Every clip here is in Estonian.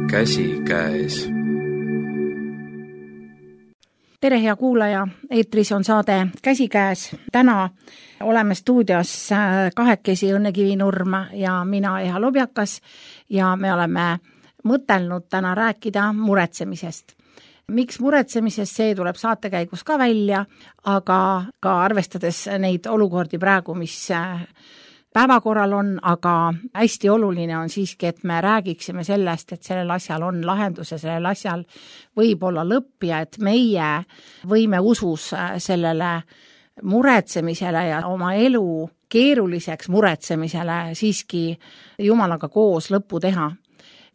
käsikäes. Tere, hea kuulaja, eetris on saade Käsikäes. Täna oleme stuudios kahekesi Õnne Kivinurm ja mina, Eha Lobjakas, ja me oleme mõtelnud täna rääkida muretsemisest. Miks muretsemisest, see tuleb saate käigus ka välja, aga ka arvestades neid olukordi praegu, mis päevakorral on, aga hästi oluline on siiski, et me räägiksime sellest, et sellel asjal on lahendus ja sellel asjal võib olla lõpp ja et meie võime usus sellele muretsemisele ja oma elu keeruliseks muretsemisele siiski Jumalaga koos lõppu teha.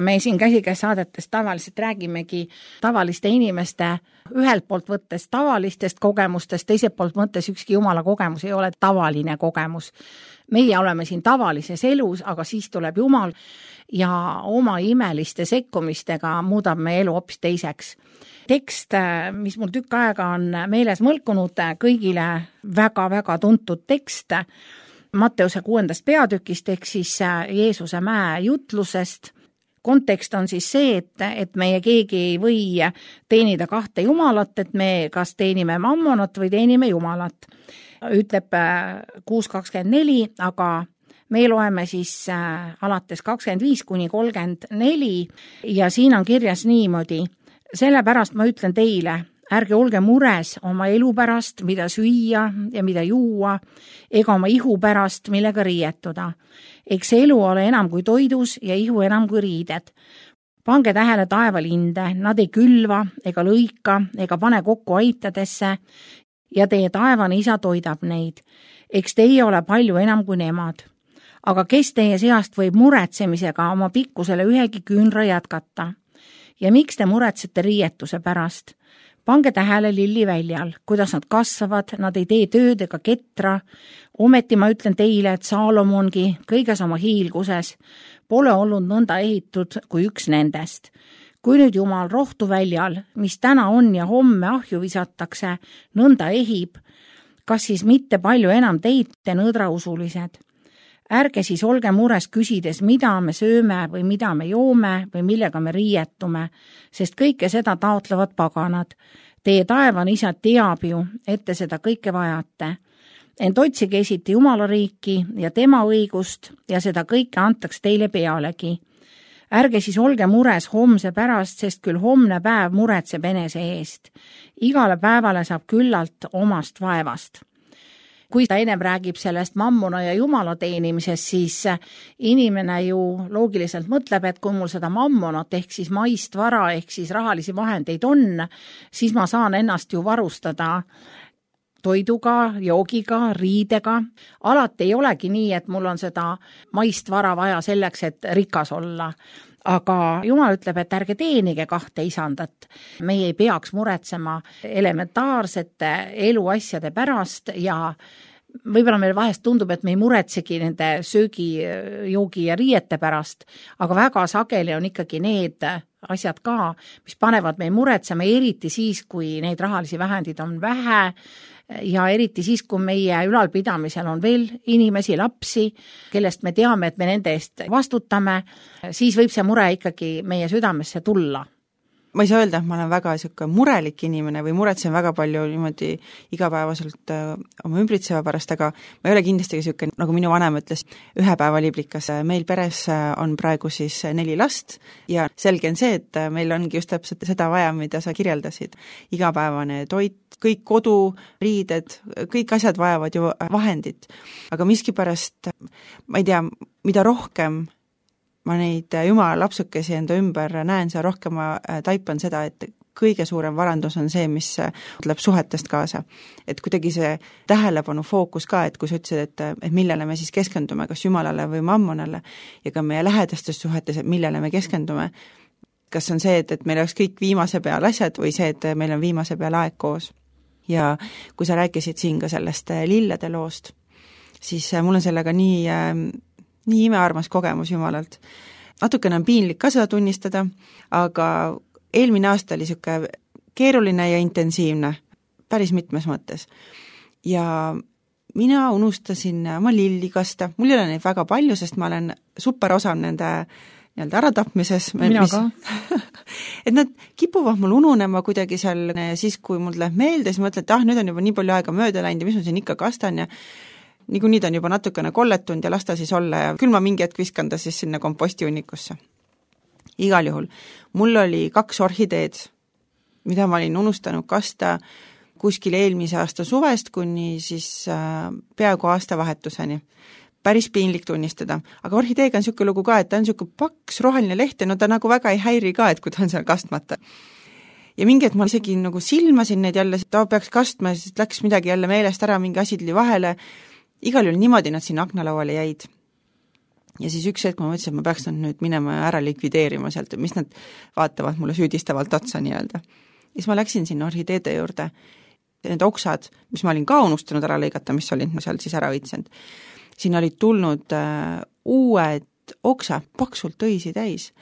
Me siin Käsikäes saadetes tavaliselt räägimegi tavaliste inimeste ühelt poolt võttes tavalistest kogemustest, teiselt poolt mõttes ükski Jumala kogemus ei ole tavaline kogemus. Meie oleme siin tavalises elus, aga siis tuleb Jumal ja oma imeliste sekkumistega muudab meie elu hoopis teiseks. Tekst, mis mul tükk aega on meeles mõlkunud, kõigile väga-väga tuntud tekst Matteuse 6. peatükist ehk siis Jeesuse mäe jutlusest. Kontekst on siis see, et meie keegi ei või teenida kahte Jumalat, et me kas teenime mammonat või teenime Jumalat. Ütleb 6.24, aga me loeme siis alates 25-34 ja siin on kirjas niimoodi. Sellepärast ma ütlen teile, ärge olge mures oma elu pärast, mida süüa ja mida juua, ega oma ihu pärast, millega riietuda. Eks elu ole enam kui toidus ja ihu enam kui riided. Pange tähele taevalinde, nad ei külva ega lõika ega pane kokku aitadesse ja teie taevane isa toidab neid. Eks teie ole palju enam kui nemad. Aga kes teie seast võib muretsemisega oma pikkusele ühegi küünra jätkata? Ja miks te muretsete riietuse pärast? Pange tähele lilliväljal, kuidas nad kasvavad, nad ei tee tööd ega ketra. Ometi ma ütlen teile, et Saalomongi kõiges oma hiilguses pole olnud nõnda ehitud kui üks nendest. Kui nüüd Jumal rohtuväljal, mis täna on ja homme ahju visatakse, nõnda ehib, kas siis mitte palju enam teite nõdrausulised? Ärge siis olge mures küsides, mida me sööme või mida me joome või millega me riietume, sest kõike seda taotlevad paganad. Teie taevane isa teab ju, et te seda kõike vajate. Ent otsige esiti Jumala riiki ja tema õigust ja seda kõike antaks teile pealegi. Ärge siis olge mures homse pärast, sest küll homne päev muretseb enese eest. Igale päevale saab küllalt omast vaevast. Kui ta ennem räägib sellest mammona ja Jumala teenimisest, siis inimene ju loogiliselt mõtleb, et kui mul seda mammonat ehk siis maist vara ehk siis rahalisi vahendeid on, siis ma saan ennast ju varustada toiduga, joogiga, riidega. Alati ei olegi nii, et mul on seda maist vara vaja selleks, et rikas olla. Aga Jumal ütleb, et ärge teenige kahte isandat. Meie ei peaks muretsema elementaarsete eluasjade pärast ja võib-olla meil vahest tundub, et me ei muretsegi nende söögi, joogi ja riiete pärast, aga väga sageli on ikkagi need asjad ka, mis panevad meil muretsema, eriti siis, kui neid rahalisi vahendeid on vähe ja eriti siis, kui meie ülalpidamisel on veel inimesi, lapsi, kellest me teame, et me nende eest vastutame, siis võib see mure ikkagi meie südamesse tulla. Ma ei saa öelda, et ma olen väga murelik inimene või muretsen väga palju niimoodi igapäevaselt oma ümbritseva pärast, aga ma ei ole kindlasti ka nagu minu vanem ütles, ühe päeva liblikas. Meil peres on praegu siis 4 last ja selge on see, et meil ongi just täpselt seda vaja, mida sa kirjeldasid. Igapäevane toit, kõik kodu, riided, kõik asjad vajavad ju vahendit. Aga miskipärast, ma ei tea, mida rohkem ma neid Jumala lapsukesi enda ümber näen, see rohkem ma taipan seda, et kõige suurem varandus on see, mis tuleb suhetest kaasa. Et kuidagi see tähelepanu fookus ka, et kui sa ütlesid, et millele me siis keskendume, kas Jumalale või mammonale ja ka meie lähedastes suhetes, et millele me keskendume. Kas on see, et meil oleks kõik viimase peal asjad või see, et meil on viimase peal aeg koos. Ja kui sa rääkisid siin ka sellest lillede loost, siis mul on sellega nii imearmas kogemus Jumalalt. Natukene on piinlik ka seda tunnistada, aga eelmine aasta oli siuke keeruline ja intensiivne, päris mitmes mõttes. Ja mina unustasin oma lilli kasta, mul ei ole neid väga palju, sest ma olen super osav nende nii-öelda äratapmises. Mina ka. Et nad kipuvad mul ununema kuidagi seal ja siis, kui mul läheb meelde, siis mõtlen, et nüüd on juba nii palju aega mööda läinud ja mis ma siin ikka kastan ja niikuinii ta on juba natukene kolletunud ja las ta siis olla ja küll ma mingi hetk viskan ta siis sinna kompostihunnikusse. Igal juhul. Mul oli 2 orhideed, mida ma olin unustanud kasta kuskil eelmise aasta suvest kuni siis peaaegu aastavahetuseni. Päris piinlik tunnistada. Aga orhideega on niisugune lugu ka, et ta on niisugune paks roheline leht ja no ta nagu väga ei häiri ka, et kui ta on seal kastmata. Ja mingi, et ma isegi nagu silmasin neid jälle, ta peaks kastma ja siis läks midagi jälle meelest ära, mingi asi tuli vahele. Igal juhul niimoodi nad sinna aknalauale jäid. Ja siis üks hetk ma mõtlesin, et ma peaks nad nüüd minema ja ära likvideerima sealt, mis nad vaatavad mulle süüdistavalt otsa nii-öelda. Ja siis ma läksin sinna orhideede juurde. Need oksad, mis ma olin ka unustanud ära lõigata, mis olid seal siis ära õitsenud. Siin olid tulnud uued oksa, paksult õisi täis.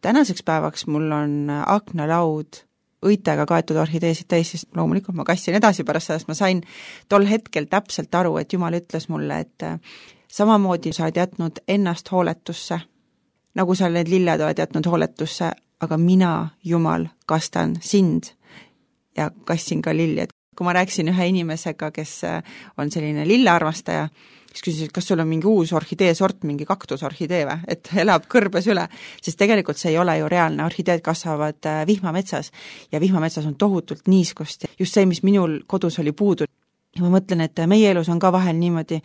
Tänaseks päevaks mul on aknalaud õitega kaetud orhideesid täis, sest loomulikult ma kassin edasi pärast sellest, ma sain tol hetkel täpselt aru, et Jumal ütles mulle, et samamoodi sa oled jätnud ennast hooletusse, nagu sa need lilled oled jätnud hooletusse, aga mina, Jumal, kastan sind ja kassin ka lilli. Kui ma rääkisin ühe inimesega, kes on selline lillearmastaja, siis küsisin, kas sul on mingi uus orhidee sort, mingi kaktusorhidee või, et elab kõrbes üle, sest tegelikult see ei ole ju reaalne, orhideed kasvavad vihmametsas ja vihmametsas on tohutult niiskust, just see, mis minul kodus oli puudu. Ja ma mõtlen, et meie elus on ka vahel niimoodi,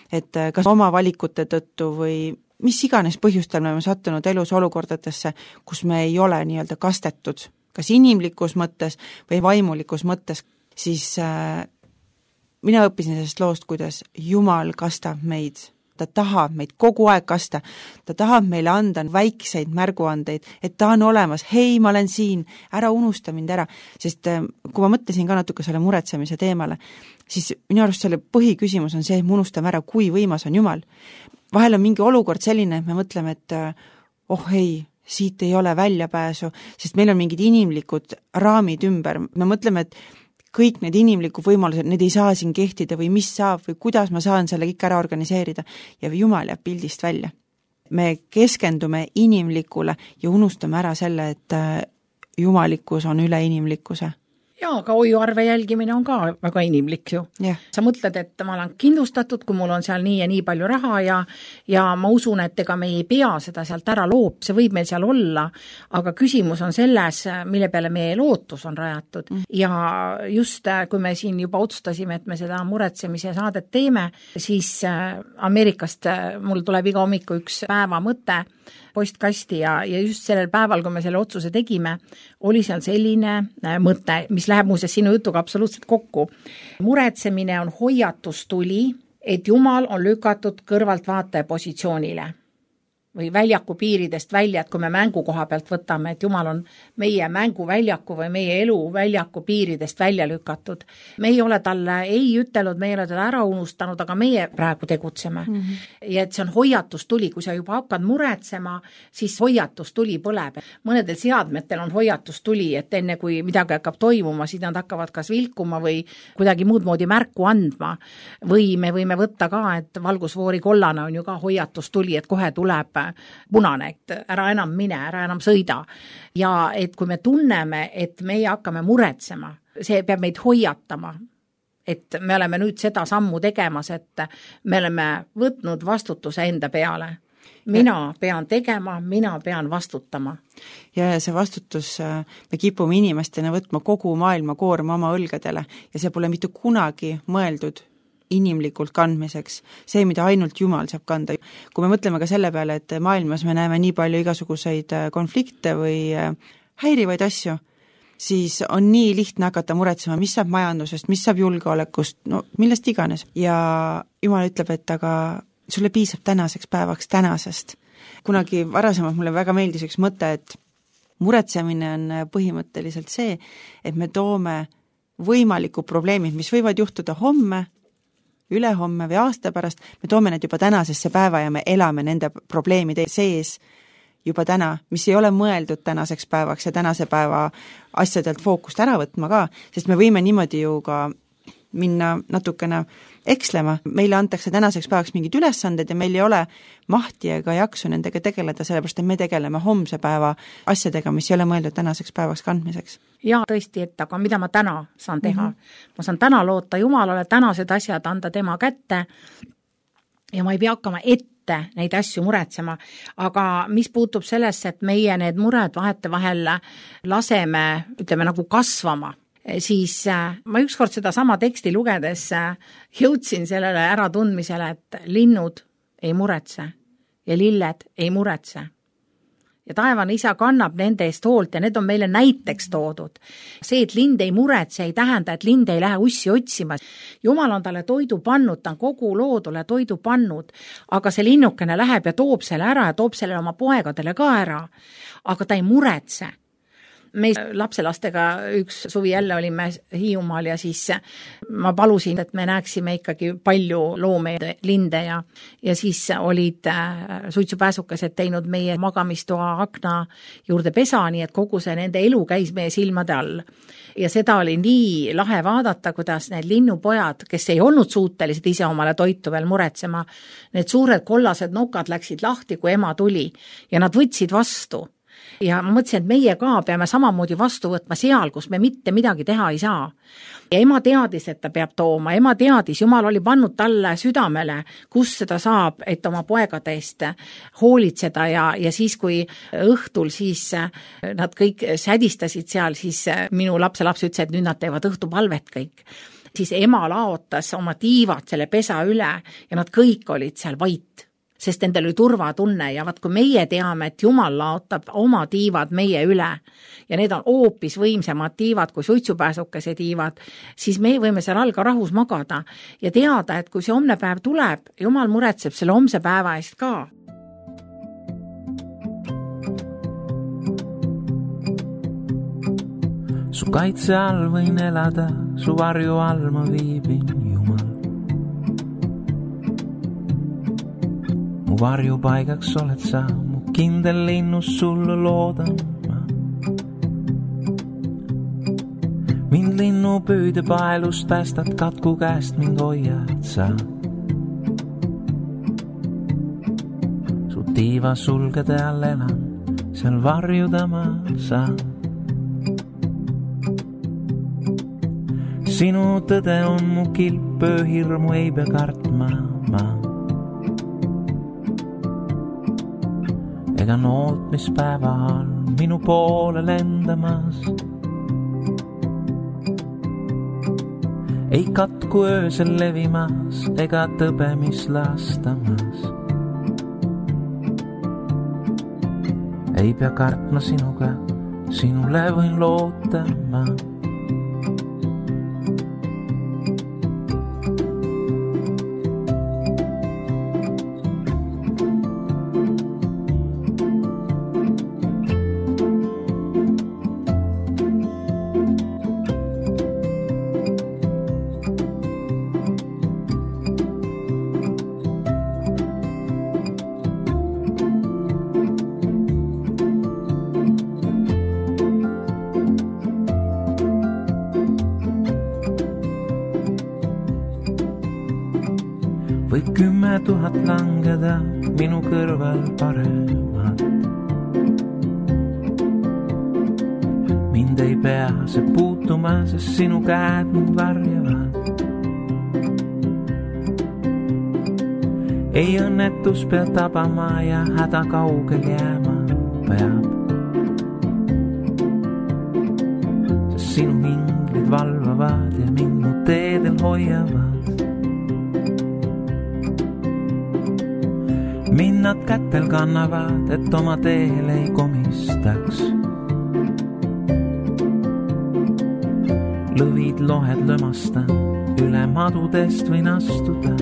et kas oma valikute tõttu või mis iganes põhjustel me oleme sattunud elus olukordadesse, kus me ei ole nii-öelda kastetud, kas inimlikus mõttes või vaimulikus mõttes, siis mina õppisin sellest loost, kuidas Jumal kastab meid. Ta tahab meid kogu aeg kasta. Ta tahab meile anda väikseid märguandeid, et ta on olemas. Hei, ma olen siin, ära unusta mind ära. Sest kui ma mõtlesin ka natuke selle muretsemise teemale, siis minu arust selle põhiküsimus on see, et me unustame ära, kui võimas on Jumal. Vahel on mingi olukord selline, et me mõtleme, et ei, siit ei ole väljapääsu, sest meil on mingid inimlikud raamid ümber. Me mõtleme, et kõik need inimlikud võimalused, need ei saa siin kehtida või mis saab või kuidas ma saan selle kõik ära organiseerida ja Jumal jääb pildist välja. Me keskendume inimlikule ja unustame ära selle, et jumalikkus on üle inimlikkuse. Jaa, aga hoiuarve jälgimine on ka väga inimlik ju. Yeah. Sa mõtled, et ma olen kindlustatud, kui mul on seal nii ja nii palju raha ja ma usun, et ega me ei pea seda sealt ära loop, see võib meil seal olla, aga küsimus on selles, mille peale meie lootus on rajatud. Ja just kui me siin juba otsustasime, et me seda muretsemise saadet teeme, siis Ameerikast mul tuleb iga hommiku üks päeva mõte postkasti ja just sellel päeval, kui me selle otsuse tegime, oli seal selline mõte, mis läheb muuseas sinu jutuga absoluutselt kokku. Muretsemine on hoiatustuli, et Jumal on lükatud kõrvaltvaataja positsioonile või väljaku piiridest välja, et kui me mängukoha pealt võtame, et Jumal on meie mänguväljaku või meie eluväljaku piiridest välja lükatud. Me ei ole talle ei ütelnud, me ei ole talle ära unustanud, aga meie praegu tegutseme. Ja et see on hoiatustuli, kui sa juba hakkad muretsema, siis hoiatustuli põleb. Mõnedel seadmetel on hoiatustuli, et enne kui midagi hakkab toimuma, siis nad hakkavad kas vilkuma või kuidagi muud moodi märku andma. Või me võime võtta ka, et valgusfoori kollane on ju ka hoiatustuli, et kohe tuleb punane, et ära enam mine, ära enam sõida. Ja et kui me tunneme, et meie hakkame muretsema, see peab meid hoiatama, et me oleme nüüd seda sammu tegemas, et me oleme võtnud vastutuse enda peale. Mina pean tegema, mina pean vastutama. Ja see vastutus, me kipume inimestena võtma kogu maailma koorma oma õlgadele ja see pole mitte kunagi mõeldud inimlikult kandmiseks, see, mida ainult Jumal saab kanda. Kui me mõtleme ka selle peale, et maailmas me näeme nii palju igasuguseid konflikte või häirivaid asju, siis on nii lihtne hakata muretsema, mis saab majandusest, mis saab julgeolekust, no millest iganes. Ja Jumal ütleb, et aga sulle piisab tänaseks päevaks tänasest. Kunagi varasemalt mulle väga meeldis üks mõte, et muretsemine on põhimõtteliselt see, et me toome võimalikud probleemid, mis võivad juhtuda homme, ülehomme või aasta pärast, me toome need juba tänasesse päeva ja me elame nende probleemide sees juba täna, mis ei ole mõeldud tänaseks päevaks ja tänase päeva asjadelt fookust ära võtma ka, sest me võime niimoodi ju ka minna natukene ekslema, meile antakse tänaseks päevaks mingid ülesanded ja meil ei ole mahti ega jaksu nendega tegeleda, sellepärast et me tegeleme homse päeva asjadega, mis ei ole mõeldud tänaseks päevaks kandmiseks. Ja tõesti, et aga mida ma täna saan teha? Ma saan täna loota Jumalale, tänased asjad anda tema kätte ja ma ei pea hakkama ette neid asju muretsema, aga mis puutub sellesse, et meie need mured vahetevahel laseme, ütleme nagu kasvama, siis ma ükskord seda sama teksti lugedes jõudsin sellele äratundmisele, et linnud ei muretse ja lilled ei muretse. Ja taevane isa kannab nende eest hoolt ja need on meile näiteks toodud. See, et lind ei muretse, ei tähenda, et lind ei lähe ussi otsima. Jumal on talle toidu pannud, ta on kogu loodule toidu pannud, aga see linnukene läheb ja toob selle ära ja toob selle oma poegadele ka ära, aga ta ei muretse. Me lapselastega üks suvi jälle olime Hiiumaal ja siis ma palusin, et me näeksime ikkagi palju loomeid, linde ja siis olid suitsupääsukesed teinud meie magamistoa akna juurde pesa, nii et kogu see nende elu käis meie silmade all. Ja seda oli nii lahe vaadata, kuidas need linnupojad, kes ei olnud suutelised ise omale toitu veel muretsema, need suured kollased nokad läksid lahti, kui ema tuli ja nad võtsid vastu. Ja ma mõtlesin, et meie ka peame samamoodi vastu võtma seal, kus me mitte midagi teha ei saa. Ja ema teadis, et ta peab tooma, ema teadis, Jumal oli pannud talle südamele, kus seda saab, et oma poegade eest hoolitseda ja siis, kui õhtul siis nad kõik sädistasid seal, siis minu lapselaps ütles, et nüüd nad teevad õhtupalvet kõik. Siis ema laotas oma tiivad selle pesa üle ja nad kõik olid seal vait. Sest nendel oli turvatunne ja vaat kui meie teame, et Jumal laotab oma tiivad meie üle ja need on hoopis võimsamad tiivad kui suitsupääsukese tiivad, siis me võime seal all ka rahus magada ja teada, et kui see homne päev tuleb, Jumal muretseb selle homse päeva eest ka. Su kaitse all võin elada, su varju all ma viibin, Jumal. Mu varjupaigaks oled sa, mu kindel linnus sulle loodan ma. Mind linnu püüde paelust päästad, katku käest mind hoiad sa. Su tiiva sulgede all elan, seal varjuda ma saan. Sinu tõde on mu kilp, hirmu ei pea kartma ma. Ega noot, mis päeva on minu poole lendamas. Ei katku öösel levimas ega tõbemis lastamas. Ei pea kartma sinuga, sinule võin loota ma. Võib 10 000 langeda minu kõrval paremat. Mind ei pea see puutuma, sest sinu käed mind varjavad. Ei õnnetus pea tabama ja häda kaugel jääma peab. Sest sinu inglid valvavad ja mind mu teedel hoiavad. Mind nad kätel kannavad, et oma teel ei komistaks. Lõvid lohed lömastan, üle madudest võin astuda.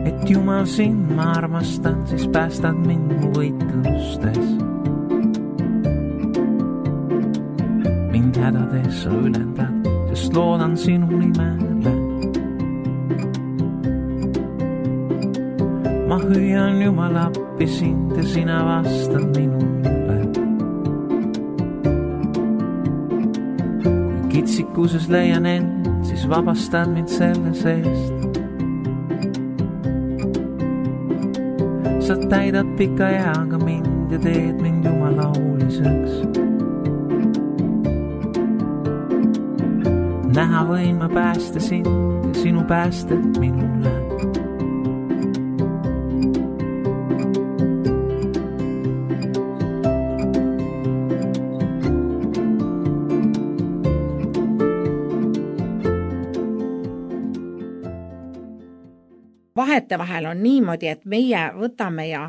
Et Jumal sind ma armastan, siis päästad mind mu võitlustes. Mind hädades sa ülendad, sest loodan sinu nimele. Ma hüüan Jumal appi sind ja sina vastad minule. Kui kitsikuses leian end, siis vabastan mind selle seest. Sa täidad pika eaga mind ja teed mind jumalauliseks. Näha võin ma päästa sind ja sinu päästed minule. Vahetevahel on niimoodi, et meie võtame ja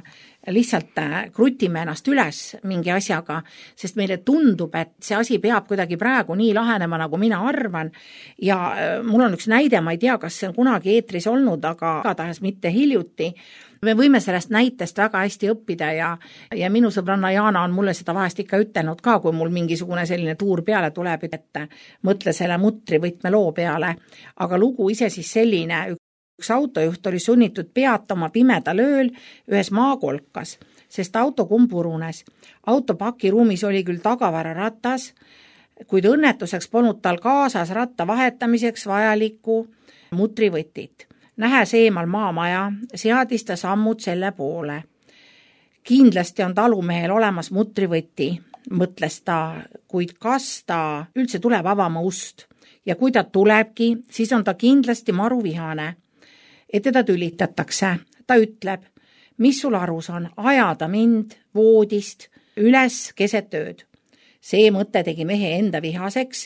lihtsalt krutime ennast üles mingi asjaga, sest meile tundub, et see asi peab kuidagi praegu nii lahenema, nagu mina arvan. Ja mul on üks näide, ma ei tea, kas see on kunagi eetris olnud, aga igatahes mitte hiljuti. Me võime sellest näitest väga hästi õppida ja minu sõbranna Jaana on mulle seda vahest ikka ütelnud ka, kui mul mingisugune selline tuur peale tuleb, et mõtle selle mutrivõtme loo peale. Aga lugu ise siis selline, üks autojuht oli sunnitud peatama pimedal ööl ühes maakolkas, sest auto kumpurunes. Auto pakiruumis oli küll tagavararatas, kuid õnnetuseks polnud tal kaasas ratta vahetamiseks vajalikku mutrivõtit. Nähes eemal maamaja, seadis ta sammud selle poole. Kindlasti on talumehel olemas mutrivõti, mõtles ta, kuid kas ta üldse tuleb avama ust. Ja kui ta tulebki, siis on ta kindlasti maruvihane. Et teda tülitatakse. Ta ütleb, mis sul arus on, ajada mind voodist üles keset ööd. See mõte tegi mehe enda vihaseks,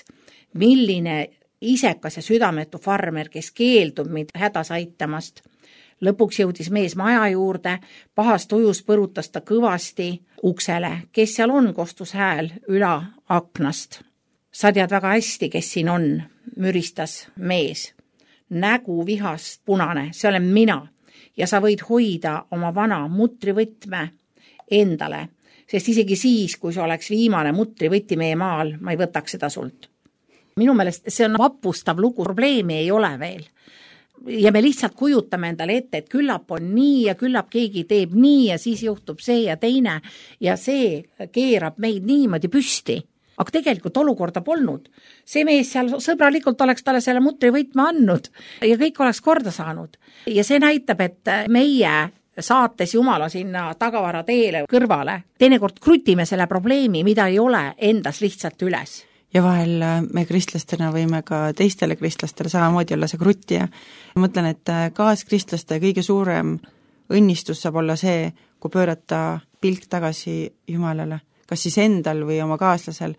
milline isekas ja südametu farmer, kes keeldub meid hädas aitamast. Lõpuks jõudis mees maja juurde, pahast ujus põrutas ta kõvasti uksele, kes seal on, kostus hääl üla aknast. Sa tead väga hästi, kes siin on, müristas mees. Nägu vihast punane, see olen mina ja sa võid hoida oma vana mutrivõtme endale, sest isegi siis, kui see oleks viimane mutrivõti meie maal, ma ei võtaks seda sult. Minu meelest see on vapustav lugu, probleemi ei ole veel. Ja me lihtsalt kujutame endale ette, et küllap on nii ja küllap keegi teeb nii ja siis juhtub see ja teine ja see keerab meid niimoodi püsti. Aga tegelikult olukorda polnud. See mees seal sõbralikult oleks talle selle mutrivõtme andnud ja kõik oleks korda saanud. Ja see näitab, et meie saates Jumala sinna tagavara teele kõrvale, teinekord krutime selle probleemi, mida ei ole endas lihtsalt üles. Ja vahel me kristlastena võime ka teistele kristlastele samamoodi olla see kruttija. Mõtlen, et kaaskristlaste kõige suurem õnnistus saab olla see, kui pöörata pilk tagasi Jumalale. Kas siis endal või oma kaaslasel.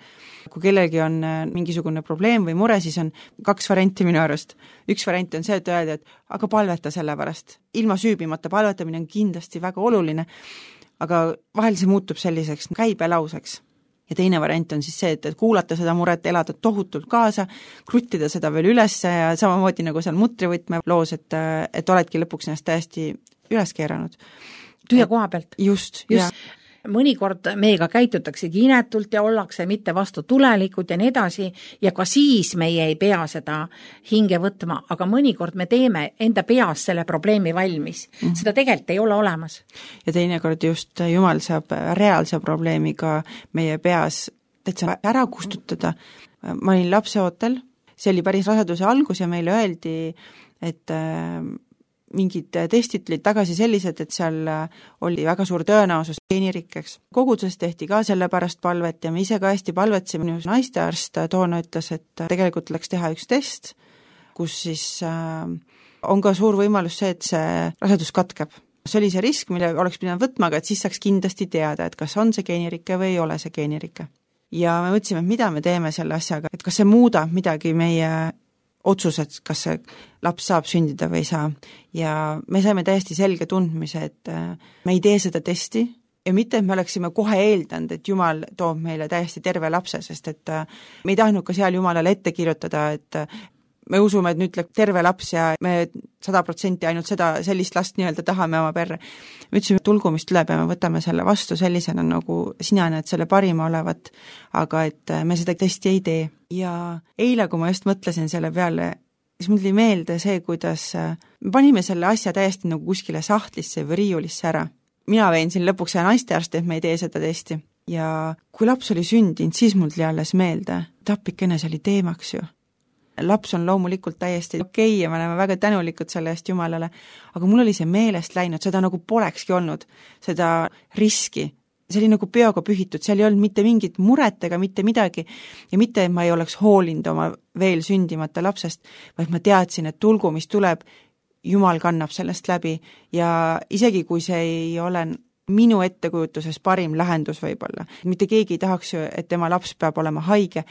Kui kellelgi on mingisugune probleem või mure, siis on 2 varianti minu arust. Üks variant on see, et öelda, et aga palveta selle pärast. Ilma süübimata palvetamine on kindlasti väga oluline, aga vahel see muutub selliseks käibelauseks. Ja teine variant on siis see, et kuulata seda muret, elada tohutult kaasa, kruttida seda veel üles ja samamoodi nagu seal mutrivõtme loos, et oledki lõpuks ennast täiesti üles keeranud. Tühja koha pealt. Just. Mõnikord meiega käitutaksegi inetult ja ollakse mitte vastu tulelikud ja nii edasi ja ka siis meie ei pea seda hinge võtma, aga mõnikord me teeme enda peas selle probleemi valmis. Seda tegelikult ei ole olemas. Ja teinekord just Jumal saab reaalse probleemiga meie peas täitsa ära kustutada. Ma olin lapseootel, see oli päris raseduse algus ja meile öeldi, et mingid testid tulid tagasi sellised, et seal oli väga suur tõenäosus geenirikkeks. Koguduses tehti ka selle pärast palvet ja me ise ka hästi palvetsime. Naistearst toona ütles, et tegelikult tuleks teha üks test, kus siis on ka suur võimalus see, et see rasedus katkeb. See oli see risk, mille oleks pidanud võtma, aga et siis saaks kindlasti teada, et kas on see geenirikke või ei ole see geenirikke. Ja me mõtlesime, et mida me teeme selle asjaga, et kas see muudab midagi meie otsused, kas see laps saab sündida või ei saa. Ja me saime täiesti selge tundmise, et me ei tee seda testi ja mitte, et me oleksime kohe eeldanud, et Jumal toob meile täiesti terve lapse, sest et me ei tahtnud ka seal Jumalale ette kirjutada, et me usume, et nüüd tuleb terve laps ja me 100% ainult sellist last nii-öelda tahame oma perre. Me ütlesime, tulgu, mis tuleb ja me võtame selle vastu sellisena, nagu sina näed selle parima olevat, aga et me seda testi ei tee. Ja eile, kui ma just mõtlesin selle peale, siis mul tuli meelde see, kuidas me panime selle asja täiesti nagu kuskile sahtlisse või riiulisse ära. Mina vein siin lõpuks naistearsti, et me ei tee seda testi. ja kui laps oli sündinud, siis mul tuli alles meelde, tapikene see oli teemaks ju. Laps on loomulikult täiesti okei ja me oleme väga tänulikud selle eest Jumalale, aga mul oli see meelest läinud, seda nagu polekski olnud, seda riski. See oli nagu peoga pühitud, seal ei olnud mitte mingit muret ega mitte midagi ja mitte, et ma ei oleks hoolinud oma veel sündimata lapsest, vaid ma teadsin, et tulgu, mis tuleb, Jumal kannab sellest läbi ja isegi kui see ei ole minu ettekujutuses parim lahendus võib-olla, mitte keegi ei tahaks ju, et tema laps peab olema haige,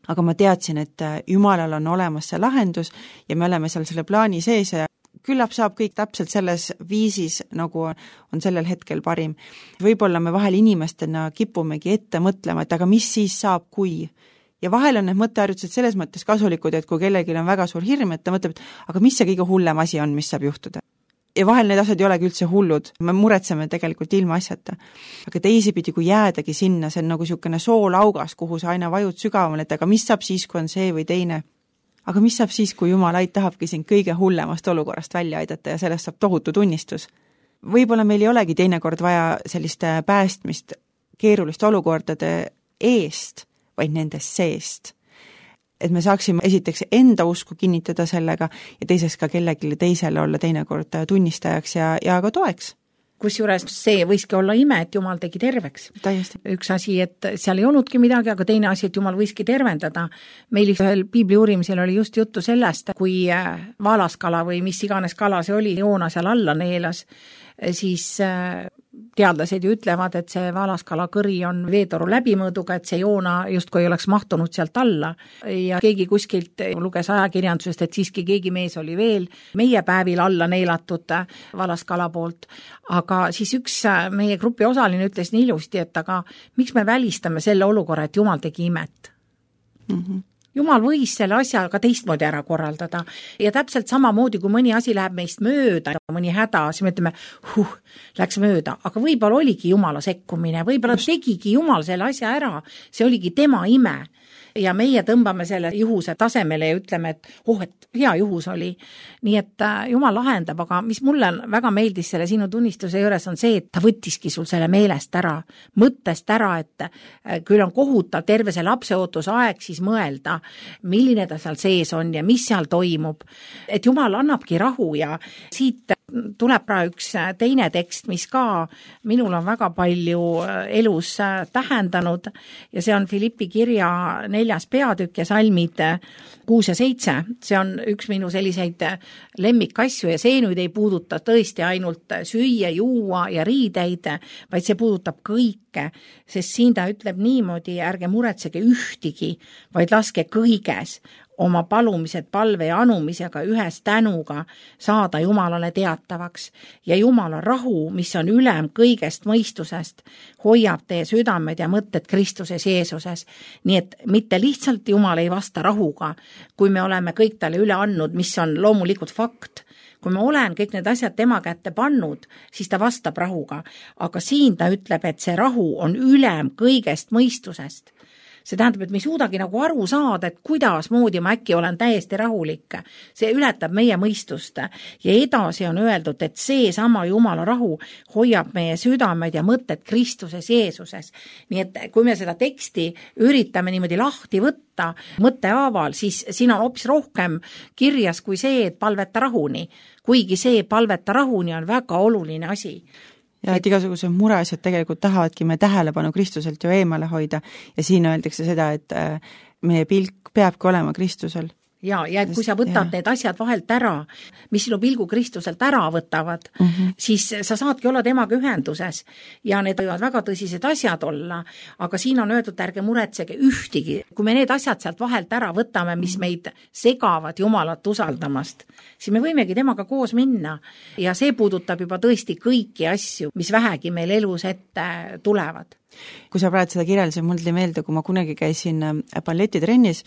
aga ma teadsin, et Jumalal on olemas see lahendus ja me oleme seal selle plaani sees ja küllap saab kõik täpselt selles viisis, nagu on sellel hetkel parim. Võib-olla me vahel inimestena kipumegi ette mõtlema, et aga mis siis saab, kui? Ja vahel on need mõtteharjutused selles mõttes kasulikud, et kui kellelgi on väga suur hirm, et ta mõtleb, et aga mis see kõige hullem asi on, mis saab juhtuda? Ja vahel need asjad ei olegi üldse hullud, me muretseme tegelikult ilma asjata. Aga teisipidi, kui jäädagi sinna, see on nagu niisugune soolaugas, kuhu sa aina vajud sügavamale, et aga mis saab siis, kui on see või teine? Aga mis saab siis, kui Jumal tahabki siin kõige hullemast olukorrast välja aidata ja sellest saab tohutu tunnistus? Võib-olla meil ei olegi teinekord vaja sellist päästmist keeruliste olukordade eest, vaid nendest seest. Et me saaksime esiteks enda usku kinnitada sellega ja teiseks ka kellelegi teisele olla teinekord tunnistajaks ja ka toeks. Kusjuures see võiski olla ime, et Jumal tegi terveks. Täiesti. Üks asi, et seal ei olnudki midagi, aga teine asi, et Jumal võiski tervendada. Meil ühel piibli uurimisel oli just juttu sellest, kui vaalaskala või mis iganes kala see oli, joona seal alla neelas, siis teadlased ju ütlevad, et see vaalaskala kõri on veetoru läbimõõduga, et see joona justkui ei oleks mahtunud sealt alla ja keegi kuskilt luges ajakirjandusest, et siiski keegi mees oli veel meie päevil alla neelatud vaalaskala poolt, aga siis üks meie grupi osaline ütles nii ilusti, et aga miks me välistame selle olukorra, et Jumal tegi imet? Jumal võis selle asja ka teistmoodi ära korraldada ja täpselt samamoodi, kui mõni asi läheb meist mööda, mõni häda, siis me ütleme, läks mööda, aga võib-olla oligi Jumala sekkumine, võib-olla tegigi Jumal selle asja ära, see oligi tema ime ja meie tõmbame selle juhuse tasemele ja ütleme, et hea juhus oli. Nii et Jumal lahendab, aga mis mulle väga meeldis selle sinu tunnistuse juures on see, et ta võttiski sul selle meelest ära, mõttest ära, et küll on kohutav terve see lapseootuse aeg siis mõelda, milline ta seal sees on ja mis seal toimub. Et Jumal annabki rahu ja siit tuleb praegu üks teine tekst, mis ka minul on väga palju elus tähendanud ja see on Filippi kirja 4. peatükk ja salmid 6 ja 7. See on üks minu selliseid lemmikasju ja see nüüd ei puuduta tõesti ainult süüa, juua ja riideid, vaid see puudutab kõike, sest siin ta ütleb niimoodi, ärge muretsege ühtigi, vaid laske kõiges oma palumised palve ja anumisega ühes tänuga saada Jumalale teatavaks ja Jumala rahu, mis on ülem kõigest mõistusest, hoiab teie südamed ja mõtted Kristuses Jeesuses. Nii et mitte lihtsalt Jumal ei vasta rahuga, kui me oleme kõik talle üle andnud, mis on loomulikult fakt. Kui me olen kõik need asjad tema kätte pannud, siis ta vastab rahuga. Aga siin ta ütleb, et see rahu on ülem kõigest mõistusest. See tähendab, et me ei suudagi nagu aru saada, et kuidas moodi ma äkki olen täiesti rahulik. See ületab meie mõistust. Ja edasi on öeldud, et see sama Jumala rahu hoiab meie südamed ja mõtted Kristuses Jeesuses. Nii et kui me seda teksti üritame niimoodi lahti võtta mõttehaaval, siis siin on hoopis rohkem kirjas kui see, et palveta rahuni. Kuigi see palveta rahuni on väga oluline asi. Ja et igasugused mureasjad tegelikult tahavadki me tähelepanu Kristuselt ju eemale hoida ja siin öeldakse seda, et meie pilk peabki olema Kristusel. Ja et kui sa võtad need asjad vahelt ära, mis sinu pilgu Kristuselt ära võtavad, siis sa saadki olla temaga ühenduses ja need võivad väga tõsised asjad olla, aga siin on öeldud, ärge muretsege ühtigi. Kui me need asjad sealt vahelt ära võtame, mis meid segavad Jumalat usaldamast, siis me võimegi temaga koos minna ja see puudutab juba tõesti kõiki asju, mis vähegi meil elus ette tulevad. Kui sa praegu seda kirjeldasid, mul tuli meelde, kui ma kunagi käisin balletitrennis,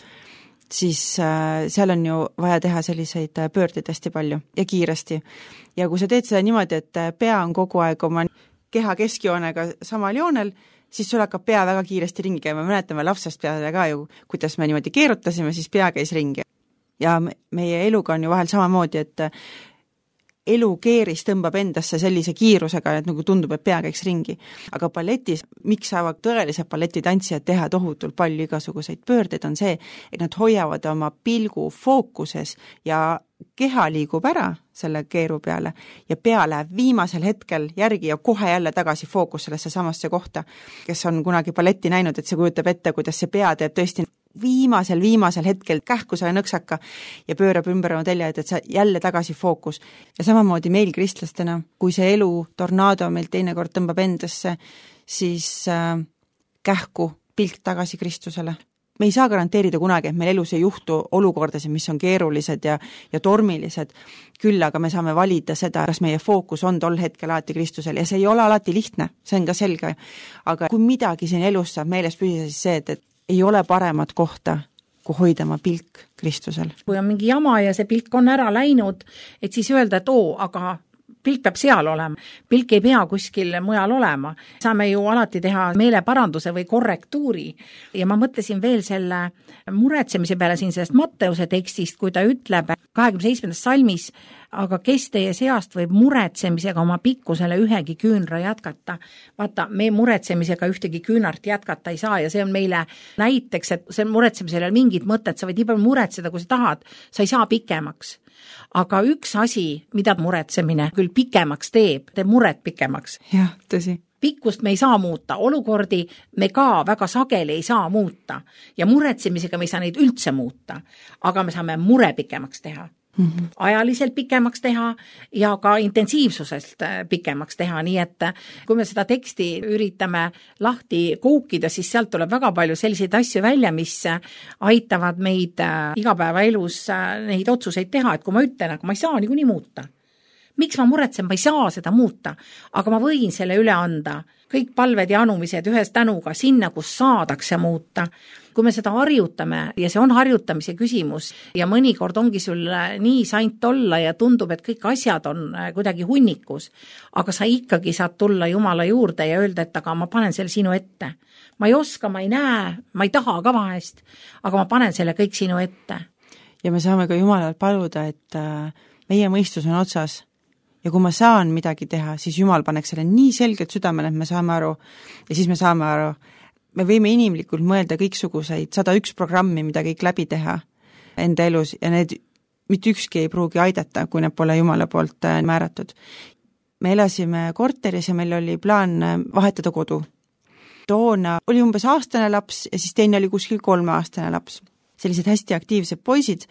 siis seal on ju vaja teha selliseid pöördeid hästi palju ja kiiresti. Ja kui sa teed seda niimoodi, et pea on kogu aeg oma keha keskjoonega samal joonel, siis sul hakkab pea väga kiiresti ringi käima. Mäletame lapsest peale ka ju, kuidas me niimoodi keerutasime, siis pea käis ringi. Ja meie eluga on ju vahel samamoodi, et elukeeris tõmbab endasse sellise kiirusega, et nagu tundub, et pea käiks ringi. Aga balletis, miks saavad tõelised balletitantsijad teha tohutult palju igasuguseid pöördeid, on see, et nad hoiavad oma pilgu fookuses ja keha liigub ära selle keeru peale ja pea läheb viimasel hetkel järgi ja kohe jälle tagasi fookus sellesse samasse kohta. Kes on kunagi balletti näinud, et see kujutab ette, kuidas see pea teeb tõesti viimasel hetkel kähku selle nõksaka ja pöörab ümber oma telja, et see jälle tagasi fookus. Ja samamoodi meil kristlastena, kui see elu tornaado meil teinekord tõmbab endasse, siis kähku pilk tagasi Kristusele. Me ei saa garanteerida kunagi, et meil elus ei juhtu olukordasid, mis on keerulised ja tormilised, küll aga me saame valida seda, kas meie fookus on tol hetkel alati Kristusel ja see ei ole alati lihtne, see on ka selge. Aga kui midagi siin elus saab meeles püsida, siis see, et ei ole paremat kohta, kui hoida oma pilk Kristusel. Kui on mingi jama ja see pilk on ära läinud, et siis öelda, et aga pilk peab seal olema. Pilk ei pea kuskil mujal olema. Saame ju alati teha meeleparanduse või korrektuuri. Ja ma mõtlesin veel selle muretsemise peale siin sellest Matteuse tekstist, kui ta ütleb 27. salmis, aga kes teie seast võib muretsemisega oma pikkusele ühegi küünra jätkata. Vaata, me muretsemisega ühtegi küünart jätkata ei saa ja see on meile näiteks, et see muretsemisel ei ole mingit mõtet, sa võid nii palju muretseda, kui sa tahad, sa ei saa pikemaks. Aga üks asi, mida muretsemine küll pikemaks teeb muret pikemaks. Jah, tõsi. Pikkust me ei saa muuta, olukordi me ka väga sageli ei saa muuta ja muretsemisega me ei saa neid üldse muuta, aga me saame mure pikemaks teha. Ajaliselt pikemaks teha ja ka intensiivsusest pikemaks teha, nii et kui me seda teksti üritame lahti koukida, siis sealt tuleb väga palju selliseid asju välja, mis aitavad meid igapäevaelus neid otsuseid teha, et kui ma ütlen, aga ma ei saa niikuinii muuta. Miks ma muretsen, ma ei saa seda muuta, aga ma võin selle üle anda. Kõik palved ja anumised ühes tänuga sinna, kus saadakse muuta. Kui me seda harjutame ja see on harjutamise küsimus ja mõnikord ongi sul nii saint olla ja tundub, et kõik asjad on kuidagi hunnikus, aga sa ikkagi saad tulla Jumala juurde ja öelda, et aga ma panen selle sinu ette. Ma ei oska, ma ei näe, ma ei taha ka vahest, aga ma panen selle kõik sinu ette. Ja me saame ka Jumalalt paluda, et meie mõistus on otsas. Ja kui ma saan midagi teha, siis Jumal paneks selle nii selgelt südamele, et me saame aru ja siis me saame aru. Me võime inimlikult mõelda kõiksuguseid 101 programmi, mida kõik läbi teha enda elus ja need mitte ükski ei pruugi aidata, kui need pole Jumala poolt määratud. Me elasime korteris ja meil oli plaan vahetada kodu. Toona oli umbes aastane laps ja siis teine oli kuskil 3-aastane laps. Sellised hästi aktiivsed poisid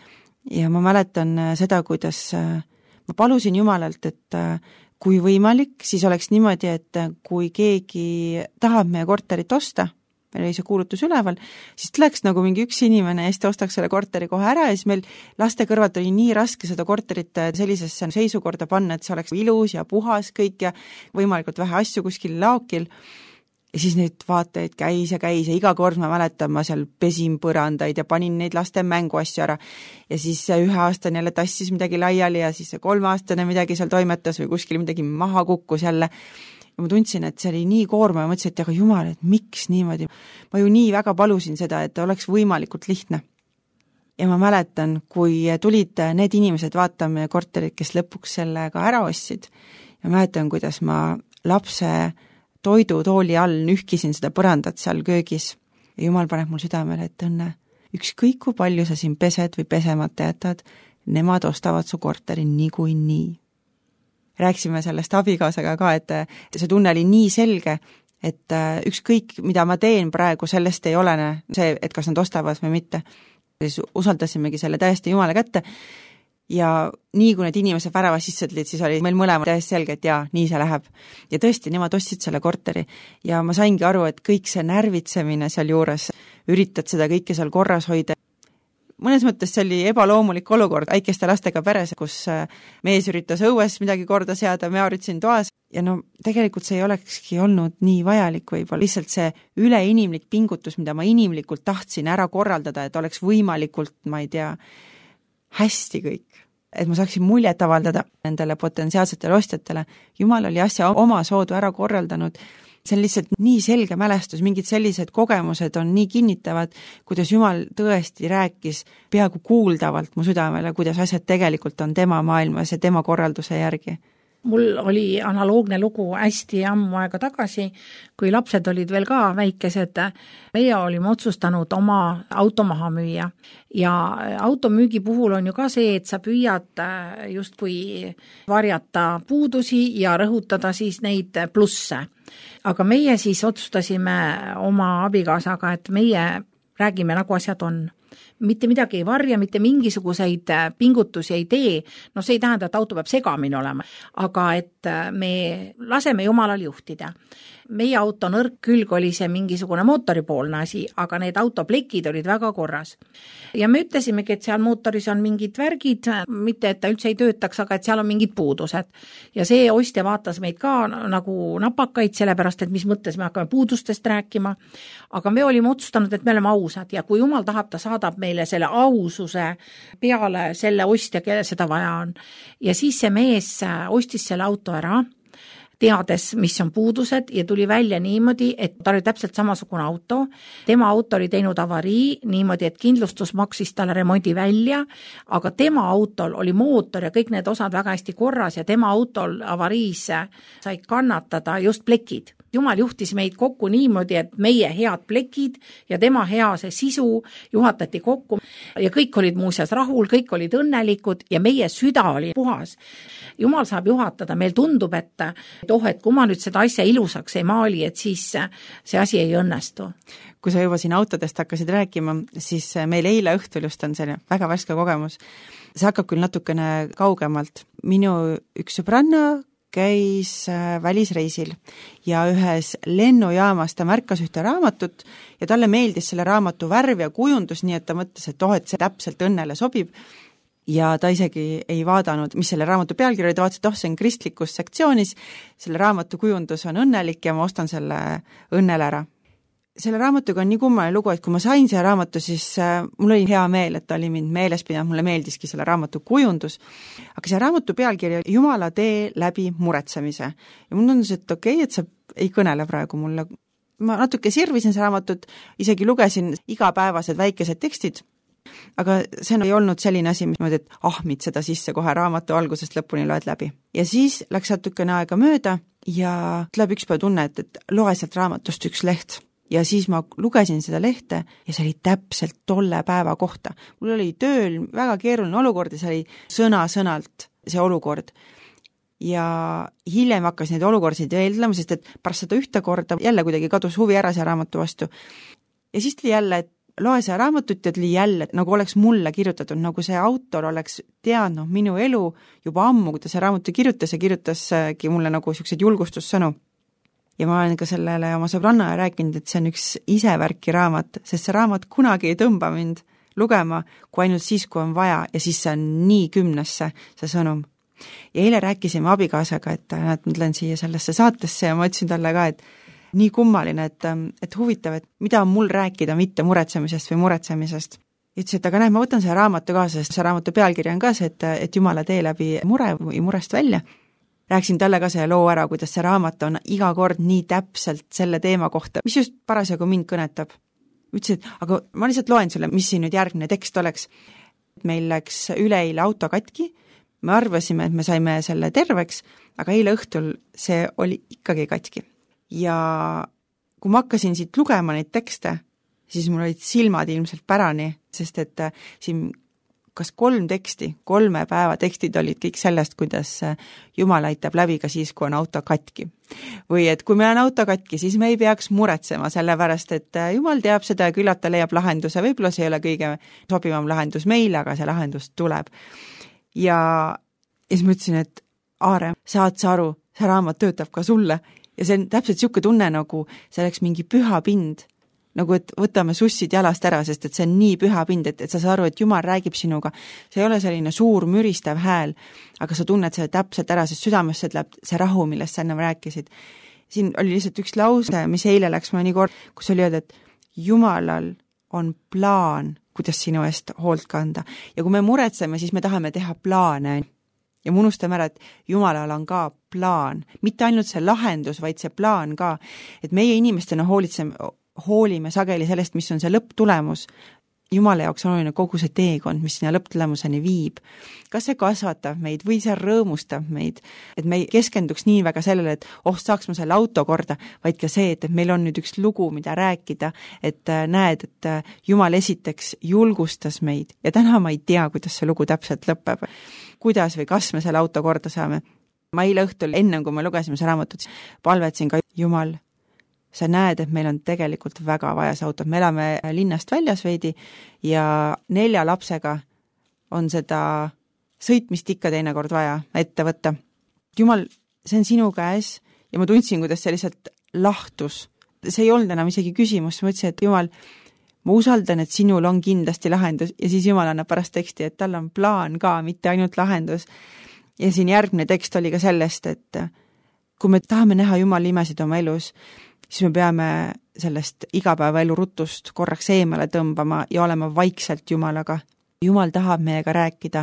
ja ma mäletan seda, kuidas ma palusin Jumalalt, et kui võimalik, siis oleks niimoodi, et kui keegi tahab meie korterit osta, meil oli see kuulutus üleval, siis tuleks nagu mingi üks inimene ja siis ta ostaks selle korteri kohe ära ja siis meil laste kõrvalt oli nii raske seda korterit sellisesse seisukorda panna, et see oleks ilus ja puhas kõik ja võimalikult vähe asju kuskil laokil. Ja siis neid vaateid käis ja iga kord ma mäletan, ma seal pesin põrandaid ja panin neid laste mänguasju ära. Ja siis 1-aastane jälle tassis midagi laiali ja siis 3-aastane midagi seal toimetas või kuskil midagi maha kukkus jälle. Ja ma tundsin, et see oli nii koorma ja mõtlesin, et aga Jumal, et miks niimoodi? Ma ju nii väga palusin seda, et oleks võimalikult lihtne. Ja ma mäletan, kui tulid need inimesed vaatama korterit, kes lõpuks selle ka ära ostsid. Ja mäletan, kuidas ma lapse toidutooli all nühkisin seda põrandat seal köögis. Ja Jumal paneb mul südamele, et Õnne, ükskõik kui palju sa siin pesed või pesemata jätad, nemad ostavad su korteri nii. Rääksime sellest abikaasaga ka, et see tunne oli nii selge, et ükskõik mida ma teen praegu, sellest ei olene see, et kas nad ostavad või mitte. Siis usaldasimegi selle täiesti Jumala kätte. Ja nii kui need inimesed väravas sisse tulid, siis oli meil mõlemad täiesti selge, et jaa, nii see läheb. Ja tõesti, nemad ostsid selle korteri ja ma saingi aru, et kõik see närvitsemine seal juures, üritad seda kõike seal korras hoida. Mõnes mõttes see oli ebaloomulik olukord väikeste lastega peres, kus mees üritas õues midagi korda seada, ma üritasin toas ja tegelikult see ei olekski olnud nii vajalik võib-olla. Lihtsalt see üleinimlik pingutus, mida ma inimlikult tahtsin ära korraldada, et oleks võimalikult, ma ei tea, hästi kõik, et ma saaksin muljet avaldada nendele potentsiaalsetele ostjatele. Jumal oli asja oma soodu ära korraldanud. see on lihtsalt nii selge mälestus, mingid sellised kogemused on nii kinnitavad, kuidas Jumal tõesti rääkis peaaegu kuuldavalt mu südamele, kuidas asjad tegelikult on tema maailmas ja tema korralduse järgi. Mul oli analoogne lugu hästi ammu aega tagasi, kui lapsed olid veel ka väikesed. Meie olime otsustanud oma auto maha müüa ja automüügi puhul on ju ka see, et sa püüad justkui varjata puudusi ja rõhutada siis neid plusse. Aga meie siis otsustasime oma abikaasaga, et meie räägime nagu asjad on. Mitte midagi ei varja, mitte mingisuguseid pingutusi ei tee. No see ei tähenda, et auto peab segamini olema, aga et me laseme Jumalal juhtida. Meie auto nõrk külg oli see mingisugune mootoripoolne asi, aga need autoplekid olid väga korras. Ja me ütlesimegi, et seal mootoris on mingid värgid, mitte et ta üldse ei töötaks, aga et seal on mingid puudused. Ja see ostja vaatas meid ka nagu napakaid, sellepärast, et mis mõttes me hakkame puudustest rääkima. Aga me olime otsustanud, et me oleme ausad ja kui Jumal tahab, ta saadab meile selle aususe peale selle ostja, kelle seda vaja on. Ja siis see mees ostis selle auto ära, teades, mis on puudused ja tuli välja niimoodi, et ta oli täpselt samasugune auto. Tema auto oli teinud avarii niimoodi, et kindlustus maksis talle remondi välja, aga tema autol oli mootor ja kõik need osad väga hästi korras ja tema autol avariis sai kannatada just plekid. Jumal juhtis meid kokku niimoodi, et meie head plekid ja tema hea see sisu juhatati kokku ja kõik olid muuseas rahul, kõik olid õnnelikud ja meie süda oli puhas. Jumal saab juhatada, meil tundub, et kui ma nüüd seda asja ilusaks ei maali, et siis see asi ei õnnestu. Kui sa juba siin autodest hakkasid rääkima, siis meil eile õhtul just on selline väga värske kogemus. See hakkab küll natukene kaugemalt. Minu üks sõbranna käis välisreisil ja ühes lennujaamas ta märkas ühte raamatut ja talle meeldis selle raamatu värv ja kujundus, nii et ta mõtles, et et see täpselt õnnele sobib. Ja ta isegi ei vaadanud, mis selle raamatu pealkiri oli, ta vaatas, et see on kristlikus sektsioonis, selle raamatu kujundus on õnnelik ja ma ostan selle õnnele ära. Selle raamatuga on nii kummaline lugu, et kui ma sain selle raamatu, siis mul oli hea meel, et ta oli mind meeles pidanud, mulle meeldiski selle raamatu kujundus, aga see raamatu pealkiri Jumala tee läbi muretsemise. Ja mul tundus, et okei, et sa ei kõnele praegu mulle. Ma natuke sirvisin see raamatut, isegi lugesin igapäevased väikesed tekstid, aga see ei olnud selline asi, et ahmid seda sisse kohe raamatu algusest lõpuni loed läbi. Ja siis läks natukene aega mööda ja tuleb üks päev tunne, et loe sealt raamatust üks leht. Ja siis ma lugesin seda lehte ja see oli täpselt tolle päeva kohta. Mul oli tööl väga keeruline olukord ja see oli sõna-sõnalt see olukord. Ja hiljem hakkas neid olukordasid veeldlema, sest et pärast seda ühte korda jälle kuidagi kadus huvi ära see raamatu vastu. Ja siis tuli jälle, et loe see raamatut ja tuli jälle, nagu oleks mulle kirjutatud, nagu see autor oleks teadnud minu elu juba ammu, kui ta see raamatu kirjutas ja kirjutaski mulle nagu sellised julgustussõnu. Ja ma olen ka sellele oma sõbranna rääkinud, et see on üks isevärki raamat, sest see raamat kunagi ei tõmba mind lugema, kui ainult siis, kui on vaja ja siis see on nii kümnesse see sõnum. Ja eile rääkisime abikaasaga, et ma tulen siia sellesse saatesse ja ma ütlesin talle ka, et nii kummaline, et huvitav, et mida on mul rääkida mitte muretsemisest või muretsemisest. Ütles, et aga näed, ma võtan selle raamatu kaasa, sest see raamatu pealkiri on ka see, et Jumala tee läbi mure või murest välja. Rääksin talle ka see loo ära, kuidas see raamat on iga kord nii täpselt selle teema kohta, mis just parasjagu mind kõnetab. Ütlesin, et aga ma lihtsalt loen sulle, mis siin nüüd järgmine tekst oleks. Meil läks üleeile auto katki, me arvasime, et me saime selle terveks, aga eile õhtul see oli ikkagi katki. Ja kui ma hakkasin siit lugema neid tekste, siis mul olid silmad ilmselt pärani, sest et siin kas 3 teksti, 3 päeva tekstid olid kõik sellest, kuidas Jumal aitab läbi ka siis, kui on auto katki. Või et kui meil on auto katki, siis me ei peaks muretsema, sellepärast et Jumal teab seda ja küllap ta leiab lahenduse, võib-olla see ei ole kõige sobivam lahendus meile, aga see lahendus tuleb. Ja siis ma ütlesin, et Aare, saad sa aru, see raamat töötab ka sulle ja see on täpselt niisugune tunne, nagu see oleks mingi püha pind. Nagu et võtame sussid jalast ära, sest et see on nii püha pind, et sa saad aru, et Jumal räägib sinuga. See ei ole selline suur müristav hääl, aga sa tunned selle täpselt ära, sest südamesse tuleb see rahu, millest sa ennem rääkisid. Siin oli lihtsalt üks lause, mis eile läks mulle nii kord, kus oli öelda, et Jumalal on plaan, kuidas sinu eest hoolt kanda. Ja kui me muretseme, siis me tahame teha plaane. ja me unustame ära, et Jumalal on ka plaan, mitte ainult see lahendus, vaid see plaan ka, et meie inimestena hoolime sageli sellest, mis on see lõpptulemus. Jumala jaoks on oluline kogu see teekond, mis sinna lõpptulemuseni viib. Kas see kasvatab meid või see rõõmustab meid, et me ei keskenduks nii väga sellele, et saaks ma selle auto korda, vaid ka see, et meil on nüüd üks lugu, mida rääkida, et näed, et Jumal esiteks julgustas meid ja täna ma ei tea, kuidas see lugu täpselt lõpeb, kuidas või kas me selle auto korda saame. Ma eile õhtul, ennem kui me lugesime see raamatut, palvetsin ka Jumal, sa näed, et meil on tegelikult väga vaja see autot. Me elame linnast väljas veidi ja 4 lapsega on seda sõitmist ikka teinekord vaja ette võtta. Jumal, see on sinu käes ja ma tundsin, kuidas see lihtsalt lahtus. See ei olnud enam isegi küsimus, ma ütlesin, et Jumal, ma usaldan, et sinul on kindlasti lahendus ja siis Jumal annab pärast teksti, et tal on plaan ka, mitte ainult lahendus. Ja siin järgmine tekst oli ka sellest, et kui me tahame näha Jumala imesid oma elus, siis me peame sellest igapäevaelu rutust korraks eemale tõmbama ja olema vaikselt Jumalaga. Jumal tahab meiega rääkida,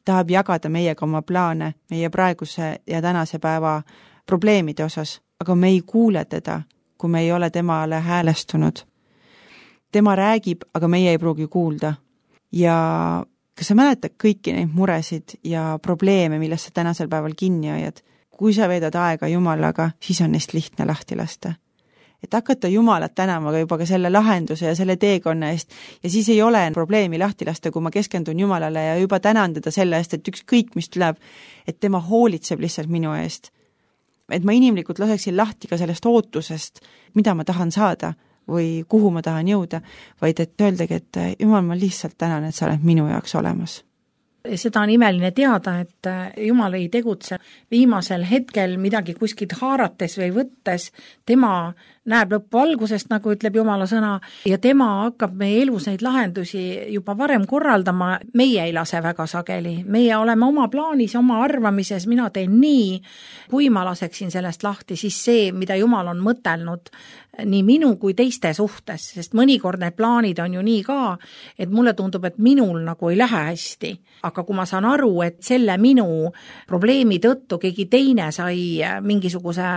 tahab jagada meiega oma plaane, meie praeguse ja tänase päeva probleemide osas, aga me ei kuule teda, kui me ei ole temale häälestunud. Tema räägib, aga meie ei pruugi kuulda. Ja kas sa mäletad kõiki neid muresid ja probleeme, millest sa tänasel päeval kinni hoiad? Kui sa veedad aega Jumalaga, siis on neist lihtne lahti lasta. Et hakata Jumalat tänama juba ka selle lahenduse ja selle teekonna eest ja siis ei ole probleemi lahti lasta, kui ma keskendun Jumalale ja juba tänan teda selle eest, et ükskõik mis tuleb, et tema hoolitseb lihtsalt minu eest. Et ma inimlikult laseksin lahti ka sellest ootusest, mida ma tahan saada või kuhu ma tahan jõuda, vaid et öeldagi, et Jumal, ma lihtsalt tänan, et sa oled minu jaoks olemas. Seda on imeline teada, et Jumal ei tegutse viimasel hetkel midagi kuskilt haarates või võttes, tema näeb lõppvalgusest, nagu ütleb Jumala sõna, ja tema hakkab meie elus neid lahendusi juba varem korraldama, meie ei lase väga sageli. Meie oleme oma plaanis, oma arvamises, mina teen nii, kui ma laseksin sellest lahti, siis see, mida Jumal on mõtelnud nii minu kui teiste suhtes, sest mõnikord need plaanid on ju nii ka, et mulle tundub, et minul nagu ei lähe hästi. Aga kui ma saan aru, et selle minu probleemi tõttu keegi teine sai mingisuguse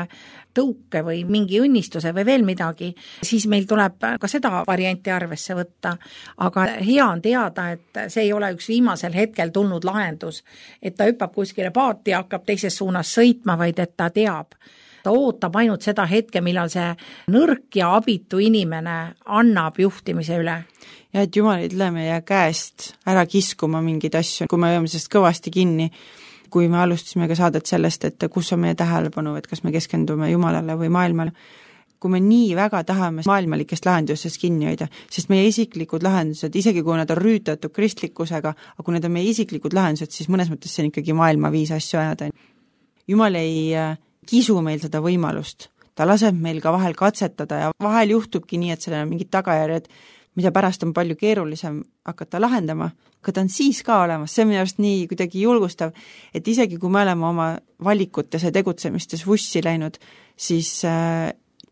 tõuke või mingi õnnistuse või veel midagi, siis meil tuleb ka seda varianti arvesse võtta. Aga hea on teada, et see ei ole üks viimasel hetkel tulnud lahendus, et ta hüppab kuskile paati ja hakkab teises suunas sõitma, vaid et ta teab. Ta ootab ainult seda hetke, millal see nõrk ja abitu inimene annab juhtimise üle. Ja et Jumal ei tule meie käest ära kiskuma mingeid asju, kui me hoiame sellest kõvasti kinni, kui me alustasime ka saadet sellest, et kus on meie tähelepanu, et kas me keskendume Jumalale või maailmale. Kui me nii väga tahame maailmalikest lahendusest kinni hoida, sest meie isiklikud lahendused, isegi kui nad on rüütatud kristlikkusega, aga kui need on meie isiklikud lahendused, siis mõnes mõttes see on ikkagi maailma viis asju ajada. Jumal ei kisu meil seda võimalust. Ta laseb meil ka vahel katsetada ja vahel juhtubki nii, et sellel on mingid tagajärjed, mida pärast on palju keerulisem hakata lahendama, aga ta on siis ka olemas, see on minu arust nii kuidagi julgustav, et isegi kui me oleme oma valikutes ja tegutsemistes vussi läinud, siis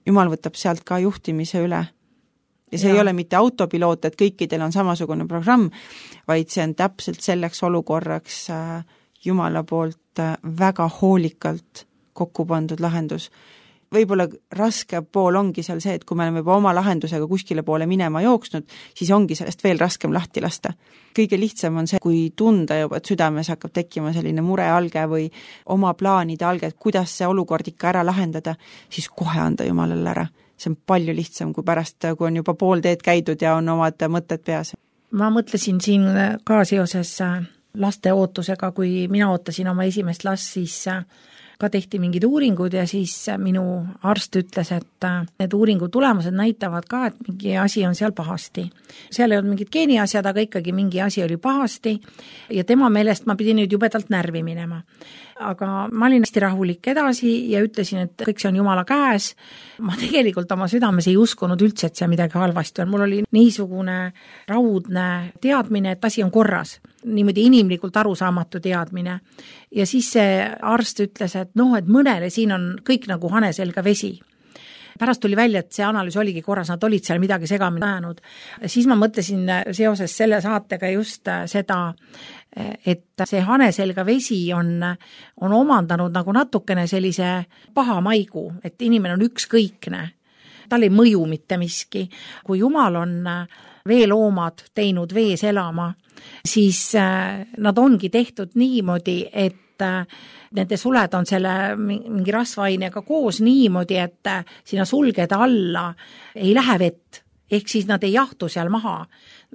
Jumal võtab sealt ka juhtimise üle. Ja see ei ole mitte autopiloot, et kõikidel on samasugune programm, vaid see on täpselt selleks olukorraks Jumala poolt väga hoolikalt kokku pandud lahendus. Võib-olla raske pool ongi seal see, et kui me oleme juba oma lahendusega kuskile poole minema jooksnud, siis ongi sellest veel raskem lahti lasta. Kõige lihtsam on see, kui tunda juba, et südames hakkab tekkima selline murealge või oma plaanide alge, et kuidas see olukord ikka ära lahendada, siis kohe anda Jumalale ära. See on palju lihtsam kui pärast, kui on juba pool teed käidud ja on omad mõtted peas. Ma mõtlesin siin ka seoses laste ootusega, kui mina ootasin oma esimest last, siis ka tehti mingid uuringud ja siis minu arst ütles, et need uuringu tulemused näitavad ka, et mingi asi on seal pahasti. Seal ei olnud mingid geeniasjad, aga ikkagi mingi asi oli pahasti ja tema meelest ma pidin nüüd jubedalt närvi minema. Aga ma olin hästi rahulik edasi ja ütlesin, et kõik see on Jumala käes. Ma tegelikult oma südames ei uskunud üldse, et see midagi halvasti on. Mul oli niisugune raudne teadmine, et asi on korras. Niimoodi inimlikult arusaamatu teadmine. Ja siis see arst ütles, et et mõnele siin on kõik nagu hane selga vesi. pärast tuli välja, et see analüüs oligi korras, nad olid seal midagi segamini ajanud. Siis ma mõtlesin seoses selle saatega just seda, et see haneselga vesi on omandanud nagu natukene sellise paha maigu, et inimene on ükskõikne. Tal ei mõju mitte miski. Kui Jumal on veeloomad teinud vees elama, siis nad ongi tehtud niimoodi, et nende suled on selle mingi rasvaainega koos niimoodi, et sinna sulgede alla ei lähe vett, ehk siis nad ei jahtu seal maha.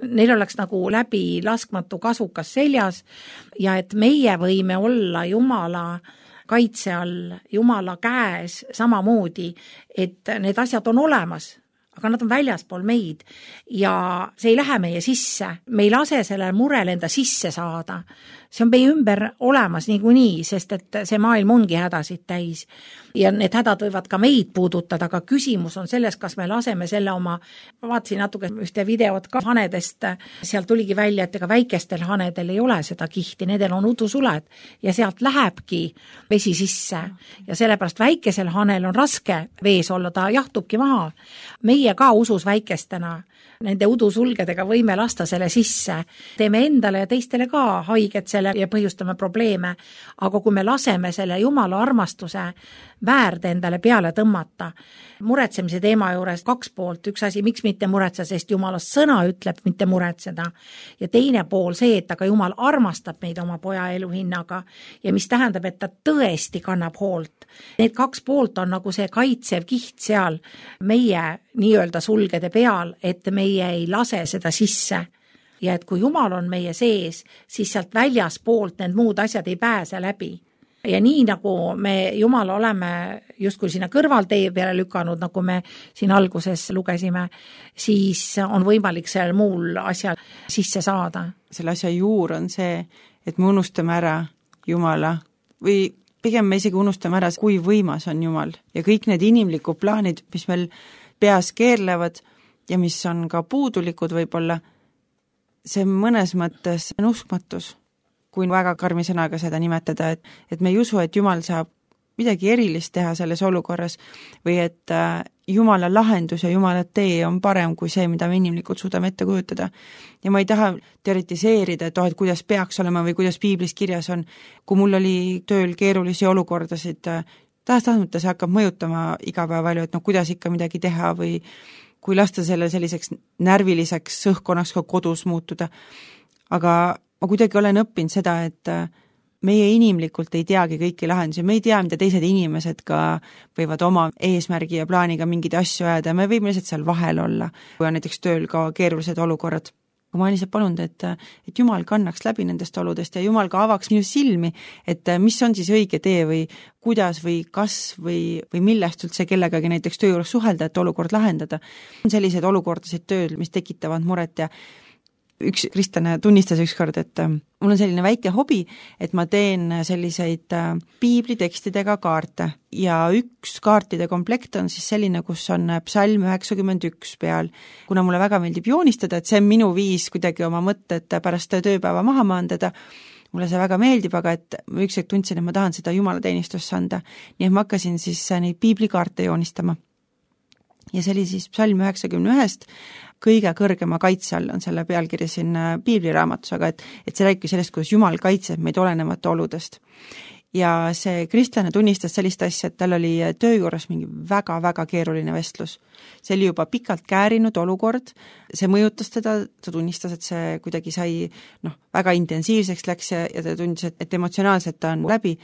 Neil oleks nagu läbi laskmatu kasukas seljas ja et meie võime olla Jumala kaitse all, Jumala käes samamoodi, et need asjad on olemas, aga nad on väljaspool meid ja see ei lähe meie sisse. Me ei lase selle murel enda sisse saada. See on meie ümber olemas niikuinii, sest et see maailm ongi hädasid täis. Ja need hädad võivad ka meid puudutada, aga küsimus on selles, kas me laseme selle oma, vaatasin natuke ühte videot ka hanedest, sealt tuligi välja, et ega väikestel hanedel ei ole seda kihti, nendel on udusuled ja sealt lähebki vesi sisse ja sellepärast väikesel hanel on raske vees olla, ta jahtubki maha. Meie ka usus väikestena nende udusulgedega võime lasta selle sisse. Teeme endale ja teistele ka haiget selle ja põhjustame probleeme, aga kui me laseme selle Jumala armastuse väärde endale peale tõmmata, muretsemise teema juures 2 poolt, üks asi, miks mitte muretseda, sest Jumala sõna ütleb mitte muretseda ja teine pool see, et aga Jumal armastab meid oma poja elu hinnaga ja mis tähendab, et ta tõesti kannab hoolt. Need 2 poolt on nagu see kaitsev kiht seal meie nii-öelda sulgede peal, et meie ei lase seda sisse ja et kui Jumal on meie sees, siis sealt väljaspoolt need muud asjad ei pääse läbi. Ja nii nagu me Jumala oleme justkui sinna kõrvaltee peale lükanud, nagu me siin alguses lugesime, siis on võimalik seal muul asjal sisse saada. Selle asja juur on see, et me unustame ära Jumala või pigem me isegi unustame ära, kui võimas on Jumal ja kõik need inimlikud plaanid, mis meil peas keerlevad ja mis on ka puudulikud võib-olla, see mõnes mõttes on uskmatus, kui väga karmi sõnaga seda nimetada, et me ei usu, et Jumal saab midagi erilist teha selles olukorras või et Jumala lahendus ja Jumala tee on parem kui see, mida me inimlikult suudame ette kujutada. Ja ma ei taha teoritiseerida, et kuidas peaks olema või kuidas piiblis kirjas on. Kui mul oli tööl keerulisi olukordasid, tahes-tahtmata see hakkab mõjutama iga päev palju, et kuidas ikka midagi teha või kui lasta selle selliseks närviliseks õhkkonnaks ka kodus muutuda. Aga ma kuidagi olen õppinud seda, et meie inimlikult ei teagi kõiki lahendusi, me ei tea, mida teised inimesed ka võivad oma eesmärgi ja plaaniga mingeid asju ajada, me võime lihtsalt seal vahel olla, kui on näiteks tööl ka keerulised olukorrad. Ma olen lihtsalt palunud, et Jumal kannaks läbi nendest oludest ja Jumal ka avaks minu silmi, et mis on siis õige tee või kuidas või kas või millest üldse kellegagi näiteks töö juures suhelda, et olukord lahendada. On sellised olukordasid tööl, mis tekitavad muret ja üks kristlane tunnistas ükskord, et mul on selline väike hobi, et ma teen selliseid piiblitekstidega kaarte ja üks kaartide komplekt on siis selline, kus on psalm 91 peal. Kuna mulle väga meeldib joonistada, et see on minu viis kuidagi oma mõtted pärast tööpäeva maha maandada, mulle see väga meeldib, aga et ma ükskord tundsin, et ma tahan seda jumalateenistusse anda. Nii et ma hakkasin siis neid piiblikaarte joonistama. Ja see oli siis psalm 91 kõige kõrgema kaitse all on selle pealkiri siin piibliraamatus, aga et see räägib sellest, kuidas Jumal kaitseb meid olenemata oludest. Ja see kristlane tunnistas sellist asja, et tal oli töö juures mingi väga-väga keeruline vestlus. See oli juba pikalt käärinud olukord, see mõjutas teda, ta tunnistas, et see kuidagi sai väga intensiivseks läks ja ta tundis, et emotsionaalselt ta on läbi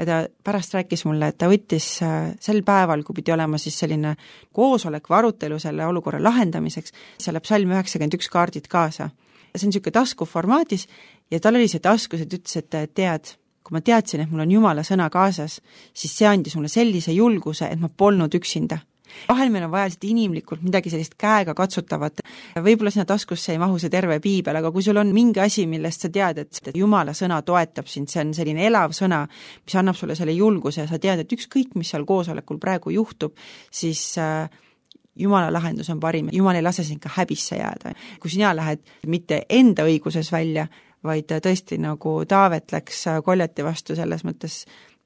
ja ta pärast rääkis mulle, et ta võttis sel päeval, kui pidi olema siis selline koosolek või arutelu selle olukorra lahendamiseks, selle psalm 91 kaardid kaasa. See on niisugune taskuformaadis ja tal oli see taskus, et ütles, et tead, kui ma teadsin, et mul on Jumala sõna kaasas, siis see andis mulle sellise julguse, et ma polnud üksinda. Vahel meil on vaja inimlikult midagi sellist käega katsutavat. Võib-olla sinna taskusse ei mahu see terve piibel, aga kui sul on mingi asi, millest sa tead, et Jumala sõna toetab sind, see on selline elav sõna, mis annab sulle selle julguse ja sa tead, et ükskõik, mis seal koosolekul praegu juhtub, siis Jumala lahendus on parim. Jumal ei lase sind ka häbisse jääda. Kui sina lähed mitte enda õiguses välja, vaid tõesti nagu Taavet läks Koljati vastu selles mõttes,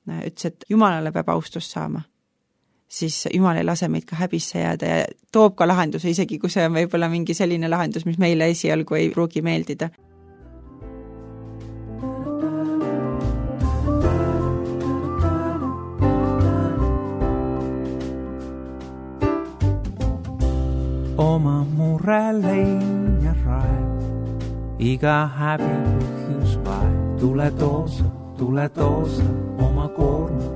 ütles, et Jumalale peab austust saama. siis Jumal ei lase meid ka häbisse jääda ja toob ka lahenduse, isegi kui see on võib-olla mingi selline lahendus, mis meile esialgu ei pruugi meeldida. Oma mure lein ja raeb, iga häbi põhjus vaeb. Tule toosa oma koorma.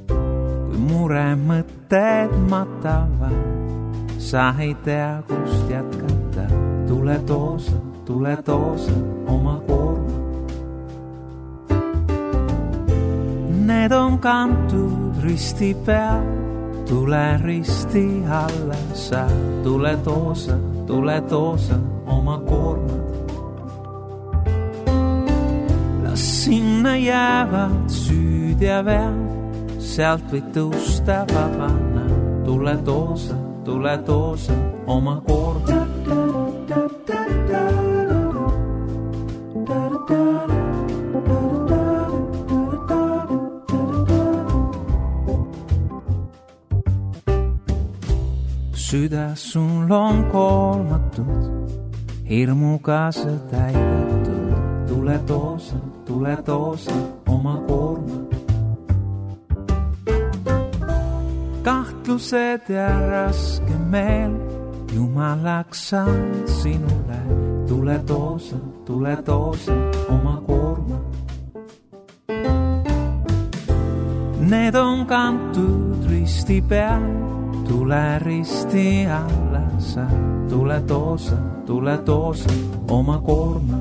Kui mure mõtted matavad, sa ei tea, kust jätkata. Tule toosa oma koorma. Need on kantud risti peal, tule risti alla sa. Tule toosa oma koormad. Las sinna jäävad süüd ja vead, sealt võid tõusta vabana. Tule toosa oma koormad. Süda sul on koormatud, hirmuga sa täidetud. Tule toosa oma koorma. Kahtlused ja raske meel, Jumalaks saan sinule. Tule toosa oma koorma. Need on kantud risti peal, tule risti alla sa. Tule toosa oma koorma.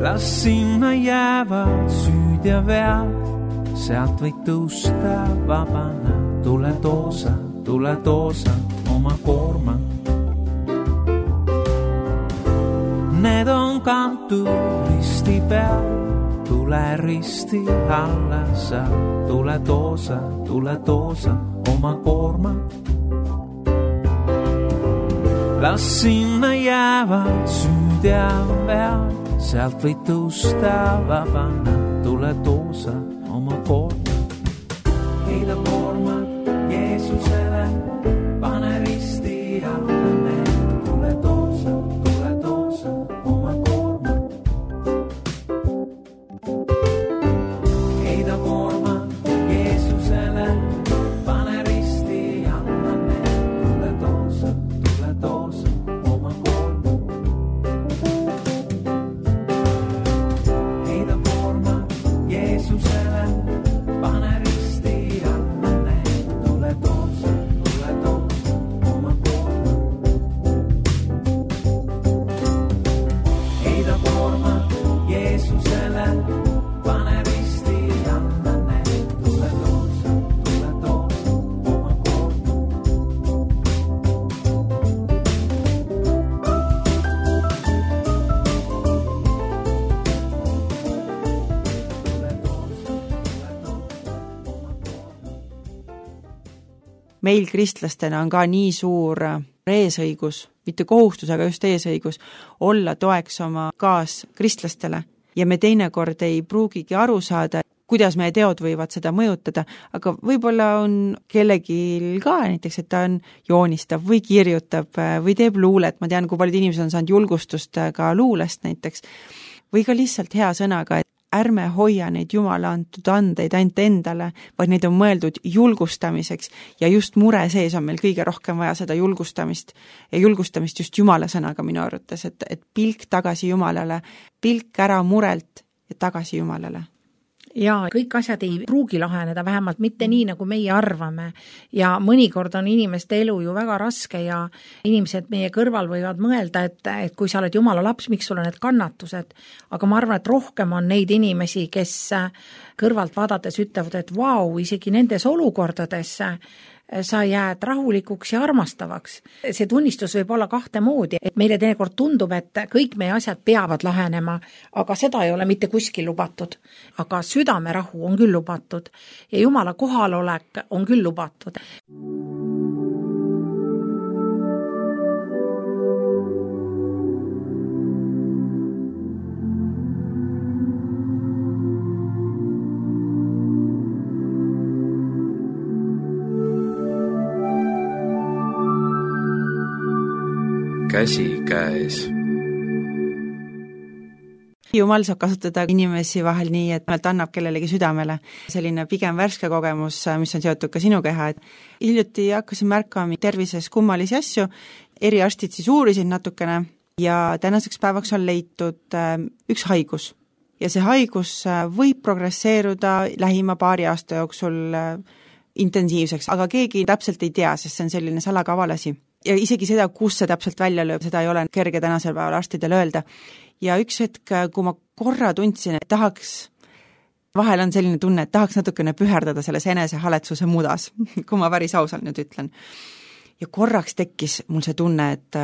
Las sinna jäävad süüd ja vead, sealt võid tõusta vabana. Tule toosa oma koorma. Need on kantud risti peal, tule risti alla sa. Tule toosa oma koorma. Las sinna jäävad süüd ja vead, sealt võid tõusta vabana. Tule toosa oma koorma. Heida koormad Jeesusele, pane risti alla need. Tule toosa oma koorma. Heida koormad Jeesusele, pane risti alla need. Tule toosa oma koorma. Heida koormad Jeesusele, pane risti alla need. Tule toosa oma koorma. Heida koormad Jeesusele, pane risti alla need. Tule toosa oma koorma. Meil kristlastena on ka nii suur eesõigus, mitte kohustus, aga just eesõigus, olla toeks oma kaaskristlastele. Ja me teinekord ei pruugigi aru saada, kuidas meie teod võivad seda mõjutada, aga võib-olla on kellelgi ka näiteks, et ta on joonistab või kirjutab või teeb luulet. Ma tean, kui paljud inimesed on saanud julgustust ka luulest näiteks. Või ka lihtsalt hea sõnaga, et ärme hoia neid Jumala antud andeid ainult endale, vaid neid on mõeldud julgustamiseks ja just mure sees on meil kõige rohkem vaja seda julgustamist ja julgustamist just Jumala sõnaga minu arvates, et pilk tagasi Jumalale, pilk ära murelt ja tagasi Jumalale. Ja kõik asjad ei pruugi laheneda, vähemalt mitte nii, nagu meie arvame. Ja mõnikord on inimeste elu ju väga raske ja inimesed meie kõrval võivad mõelda, et kui sa oled Jumala laps, miks sul on need kannatused. Aga ma arvan, et rohkem on neid inimesi, kes kõrvalt vaadates ütlevad, et vau, isegi nendes olukordades sa jääd rahulikuks ja armastavaks. See tunnistus võib olla kahte moodi, et meile teinekord tundub, et kõik meie asjad peavad lahenema, aga seda ei ole mitte kuskil lubatud. Aga südamerahu on küll lubatud ja Jumala kohalolek on küll lubatud. käsi käes. Jumal saab kasutada inimesi vahel nii, et ta annab kellelegi südamele. Selline pigem värske kogemus, mis on seotud ka sinu keha. Hiljuti hakkasin märkama tervises kummalisi asju, eriarstid siis uurisid natukene ja tänaseks päevaks on leitud üks haigus. Ja see haigus võib progresseeruda lähima paari aasta jooksul intensiivseks, aga keegi täpselt ei tea, sest see on selline salakavalasi. Ja isegi seda, kus see täpselt välja lööb, seda ei ole kerge tänasel päeval arstidel öelda. Ja üks hetk, kui ma korra tundsin, et vahel on selline tunne, et tahaks natukene püherdada selles enesehaletsuse mudas, kui ma päris ausalt nüüd ütlen. Ja korraks tekkis mul see tunne, et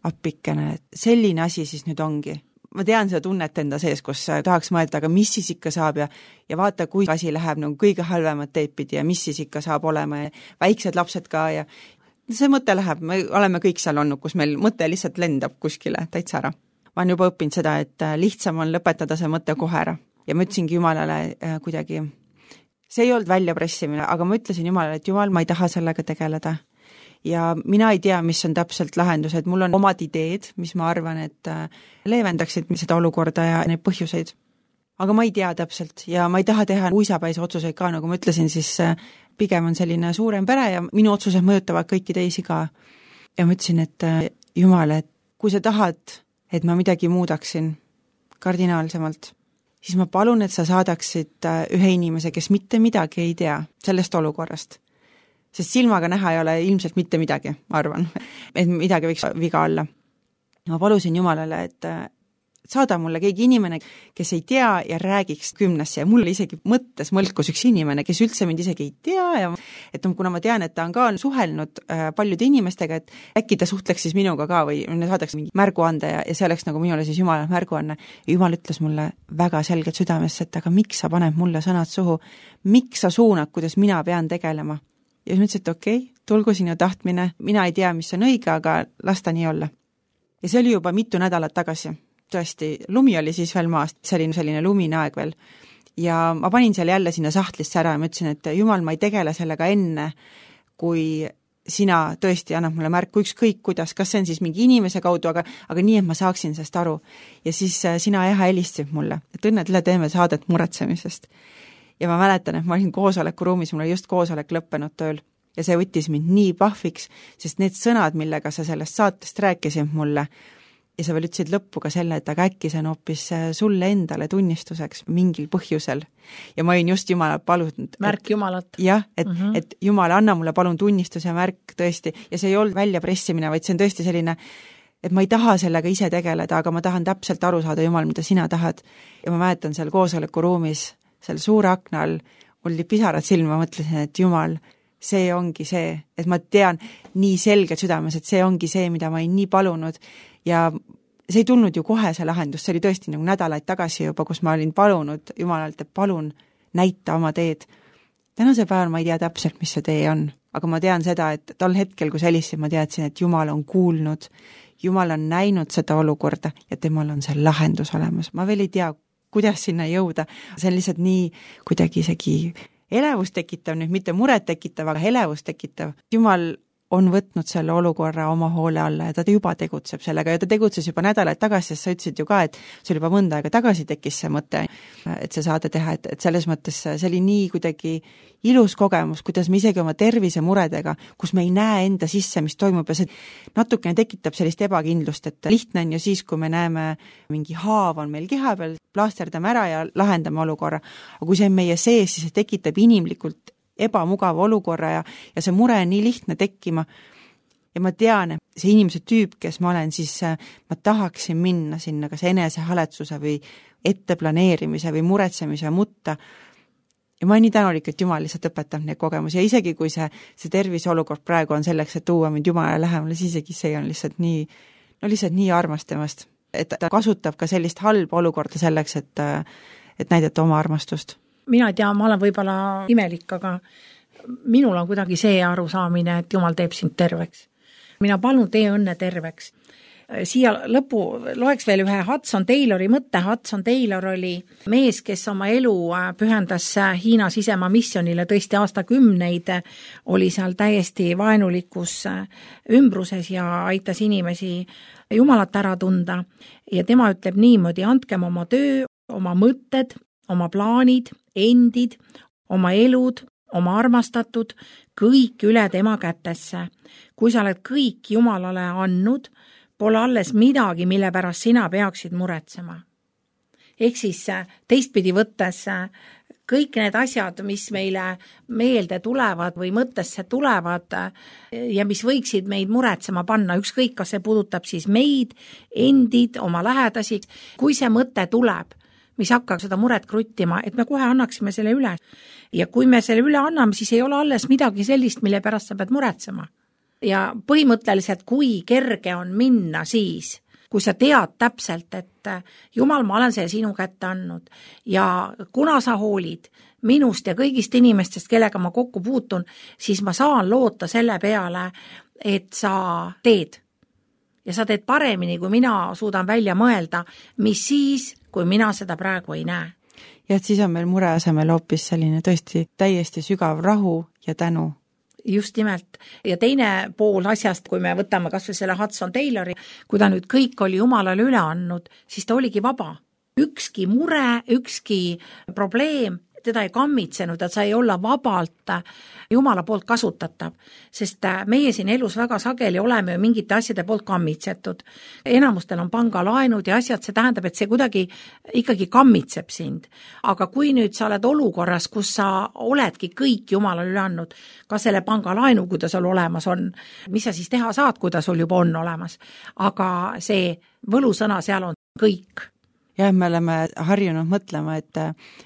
appikene, et selline asi siis nüüd ongi. Ma tean seda tunnet enda sees, kus tahaks mõelda, aga mis siis ikka saab ja vaata, kui asi läheb nagu kõige halvemat teipidi ja mis siis ikka saab olema ja väiksed lapsed ka ja see mõte läheb, me oleme kõik seal olnud, kus meil mõte lihtsalt lendab kuskile täitsa ära. Ma olen juba õppinud seda, et lihtsam on lõpetada see mõte kohe ära. Ja ma ütlesingi Jumalale kuidagi, see ei olnud väljapressimine, aga ma ütlesin Jumalale, et Jumal, ma ei taha sellega tegeleda. Ja mina ei tea, mis on täpselt lahendus, et mul on omad ideed, mis ma arvan, et leevendaksid seda olukorda ja neid põhjuseid. Aga ma ei tea täpselt ja ma ei taha teha uisapäise otsuseid ka, nagu ma ütlesin, siis pigem on selline suurem pere ja minu otsused mõjutavad kõiki teisi ka. Ja ma ütlesin, et Jumal, et kui sa tahad, et ma midagi muudaksin kardinaalsemalt, siis ma palun, et sa saadaksid ühe inimese, kes mitte midagi ei tea sellest olukorrast. Sest silmaga näha ei ole ilmselt mitte midagi, ma arvan, et midagi võiks viga olla. Ma palusin Jumalale, et saada mulle keegi inimene, kes ei tea ja räägiks 10 ja mulle isegi mõttes mõlkus üks inimene, kes üldse mind isegi ei tea ja et kuna ma tean, et ta on ka suhelnud paljude inimestega, et äkki ta suhtleks siis minuga ka või saadaks mingi märguande ja see oleks nagu minule siis Jumala märguanne. Ja Jumal ütles mulle väga selgelt südamesse, et aga miks sa paned mulle sõnad suhu, miks sa suunad, kuidas mina pean tegelema. Ja siis mõtlesin, et okei, tulgu sinu tahtmine, mina ei tea, mis on õige, aga las ta nii olla. Ja see oli juba mitu nädalat tagasi. Tõesti, lumi oli siis veel maast, see oli selline lumine aeg veel. Ja ma panin seal jälle sinna sahtlisse ära ja ma ütlesin, et Jumal, ma ei tegele sellega enne, kui sina tõesti annab mulle märku ükskõik kuidas, kas see on siis mingi inimese kaudu, aga nii, et ma saaksin sellest aru. Ja siis sina helistasid mulle, et õnne tule teeme saadet muretsemisest. Ja ma mäletan, et ma olin koosolekuruumis, mul oli just koosolek lõppenud tööl ja see võttis mind nii pahviks, sest need sõnad, millega sa sellest saatest rääkisid mulle ja sa veel ütlesid lõppu ka selle, et aga äkki see on hoopis sulle endale tunnistuseks mingil põhjusel. Ja ma olin just Jumalat palunud. Märk Jumalat. Jah, et Jumal, anna mulle palun tunnistus ja märk tõesti. Ja see ei olnud väljapressimine, vaid see on tõesti selline, et ma ei taha sellega ise tegeleda, aga ma tahan täpselt aru saada, Jumal, mida sina tahad. Ja ma mäletan seal koosolekuruumis, seal suure akna all, mul oli pisarad silma, mõtlesin, et Jumal, see ongi see, et ma tean nii selgelt südames, et see ongi see, mida ma ei nii palunud ja see ei tulnud ju kohe see lahendus, see oli tõesti nagu nädalaid tagasi juba, kus ma olin palunud Jumalalt, et palun näita oma teed. Tänase päeval ma ei tea täpselt, mis see tee on, aga ma tean seda, et tol hetkel, kui sellisin, ma teadsin, et Jumal on kuulnud, Jumal on näinud seda olukorda ja temal on see lahendus olemas. Ma veel ei tea, kuidas sinna jõuda, see on lihtsalt nii kuidagi isegi elevust tekitav, nüüd mitte muret tekitav, aga elevust tekitav. Jumal on võtnud selle olukorra oma hoole alla ja ta juba tegutseb sellega ja ta tegutses juba nädalaid tagasi, sest sa ütlesid ju ka, et see oli juba mõnda aega tagasi tekkis see mõte, et see saade teha, et selles mõttes see oli nii kuidagi ilus kogemus, kuidas me isegi oma tervise muredega, kus me ei näe enda sisse, mis toimub ja see natukene tekitab sellist ebakindlust, et lihtne on ju siis, kui me näeme mingi haav on meil keha peal, plaasterdame ära ja lahendame olukorra, aga kui see on meie sees, siis see tekitab inimlikult ebamugava olukorra ja see mure on nii lihtne tekkima ja ma tean, et see inimese tüüp, kes ma olen, siis ma tahaksin minna sinna kas enesehaletsuse või etteplaneerimise või muretsemise mutta ja ma olen nii tänulik, et Jumal lihtsalt õpetab neid kogemusi ja isegi kui see terviseolukord praegu on selleks, et tuua mind Jumala lähemale, siis isegi see on lihtsalt nii armas temast, et ta kasutab ka sellist halba olukorda selleks, et näidata oma armastust. Mina ei tea, ma olen võib-olla imelik, aga minul on kuidagi see arusaamine, et Jumal teeb sind terveks. Mina palun tee õnne terveks. siia lõpu loeks veel ühe Hudson Taylori mõtte. Hudson Taylor oli mees, kes oma elu pühendas Hiina sisemaa missionile tõesti aastakümneid, oli seal täiesti vaenulikus ümbruses ja aitas inimesi Jumalat ära tunda. Ja tema ütleb niimoodi: andkem oma töö, oma mõtted, oma plaanid, endid, oma elud, oma armastatud, kõik üle tema kätesse. Kui sa oled kõik Jumalale andnud, pole alles midagi, mille pärast sina peaksid muretsema. Ehk siis teistpidi võttes kõik need asjad, mis meile meelde tulevad või mõttesse tulevad ja mis võiksid meid muretsema panna, ükskõik kas see puudutab siis meid, endid, oma lähedasi, kui see mõte tuleb, mis hakkab seda muret kruttima, et me kohe annaksime selle üle. Ja kui me selle üle anname, siis ei ole alles midagi sellist, mille pärast sa pead muretsema. Ja põhimõtteliselt, kui kerge on minna siis, kui sa tead täpselt, et Jumal, ma olen selle sinu kätte andnud ja kuna sa hoolid minust ja kõigist inimestest, kellega ma kokku puutun, siis ma saan loota selle peale, et sa teed. Ja sa teed paremini, kui mina suudan välja mõelda, mis siis, kui mina seda praegu ei näe. Ja et siis on meil mure asemel hoopis selline tõesti täiesti sügav rahu ja tänu. Just nimelt. Ja teine pool asjast, kui me võtame kas või selle Hudson Taylori, kui ta nüüd kõik oli Jumalale üle andnud, siis ta oligi vaba. Ükski mure, ükski probleem, teda ei kammitsenud, et sa ei olla vabalt Jumala poolt kasutatav, sest meie siin elus väga sageli oleme ju mingite asjade poolt kammitsetud. Enamustel on pangalaenud ja asjad, see tähendab, et see kuidagi ikkagi kammitseb sind. Aga kui nüüd sa oled olukorras, kus sa oledki kõik Jumalale üle andnud, ka selle pangalaenu, kui ta sul olemas on, mis sa siis teha saad, kui ta sul juba on olemas. Aga see võlusõna seal on kõik. Ja me oleme harjunud mõtlema, et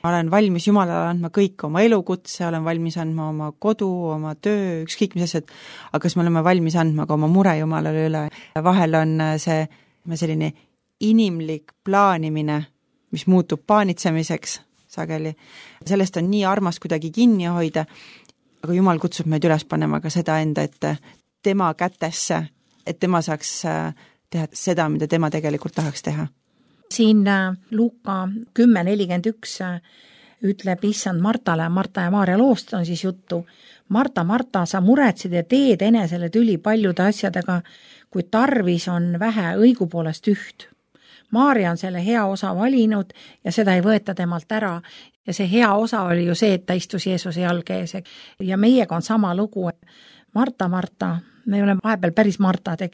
olen valmis Jumalale andma kõik oma elukutse, olen valmis andma oma kodu, oma töö, ükskõik mis asjad, aga kas me oleme valmis andma ka oma mure Jumalale üle. Vahel on see selline inimlik plaanimine, mis muutub paanitsemiseks sageli. Sellest on nii armas kuidagi kinni hoida, aga Jumal kutsub meid üles panema ka seda enda, et tema kätesse, et tema saaks teha seda, mida tema tegelikult tahaks teha. Siin Luuka 10.41 ütleb issand Martale, Marta ja Maaria loost on siis juttu. Marta, Marta, sa muretsid ja teed enesele tüli paljude asjadega, kui tarvis on vähe õigupoolest üht. Maaria on selle hea osa valinud ja seda ei võeta temalt ära. Ja see hea osa oli ju see, et ta istus Jeesuse jalge ees. Ja meiega on sama lugu. Marta, Marta, me oleme vahepeal päris Martad.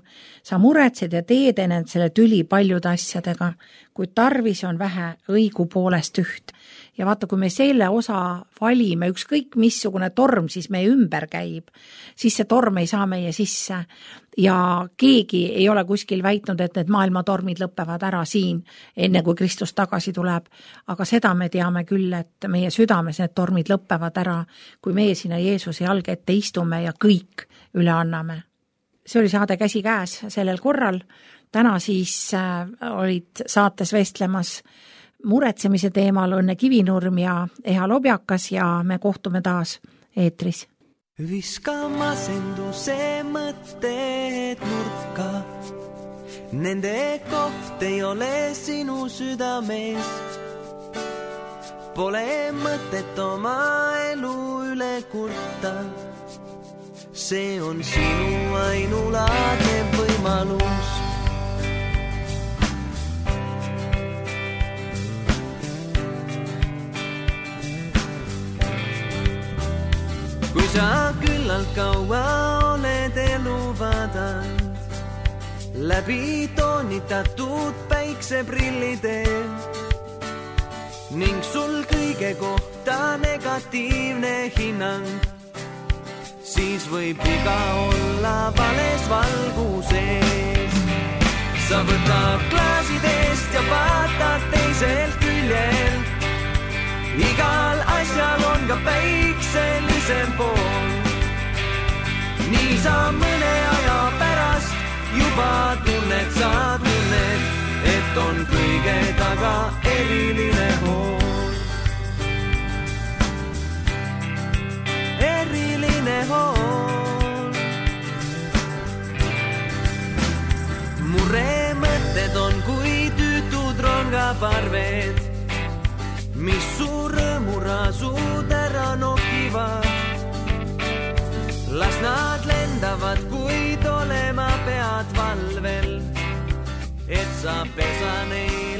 Sa muretsed ja teed ennast selle tüli paljude asjadega, kui tarvis on vähe õigupoolest üht. Ja vaata, kui me selle osa valime, ükskõik missugune torm siis meie ümber käib, siis see torm ei saa meie sisse. Ja keegi ei ole kuskil väitnud, et need maailmatormid lõpevad ära siin, enne kui Kristus tagasi tuleb. Aga seda me teame küll, et meie südames need tormid lõpevad ära, kui meie sinna Jeesuse jalge ette istume ja kõik üle anname. See oli saade Käsi käes sellel korral. Täna siis olid saates vestlemas muretsemise teemal Õnne Kivinurm ja Eha Lobjakas ja me kohtume taas eetris. Viska masenduse mõtted nurka, nende koht ei ole sinu südames. Pole mõtet oma elu üle kurta, see on sinu ainulaadne võimalus. Kui sa küllalt kaua oled elu vaadanud, läbi toonitatud päikseprillide ning sul kõige kohta negatiivne hinnang, siis võib iga olla vales valguses. Sa võtad klaasidest ja vaatad teiselt küljelt, igal asjal on ka päikselisem pool. Nii sa mõne aja pärast juba tunned, et on kõige taga eriline hool. Eriline hool. Mure parved, mis su rõõmurasud ära nokivad. Las nad lendavad, kuid olema pead valvel, et sa pesa neid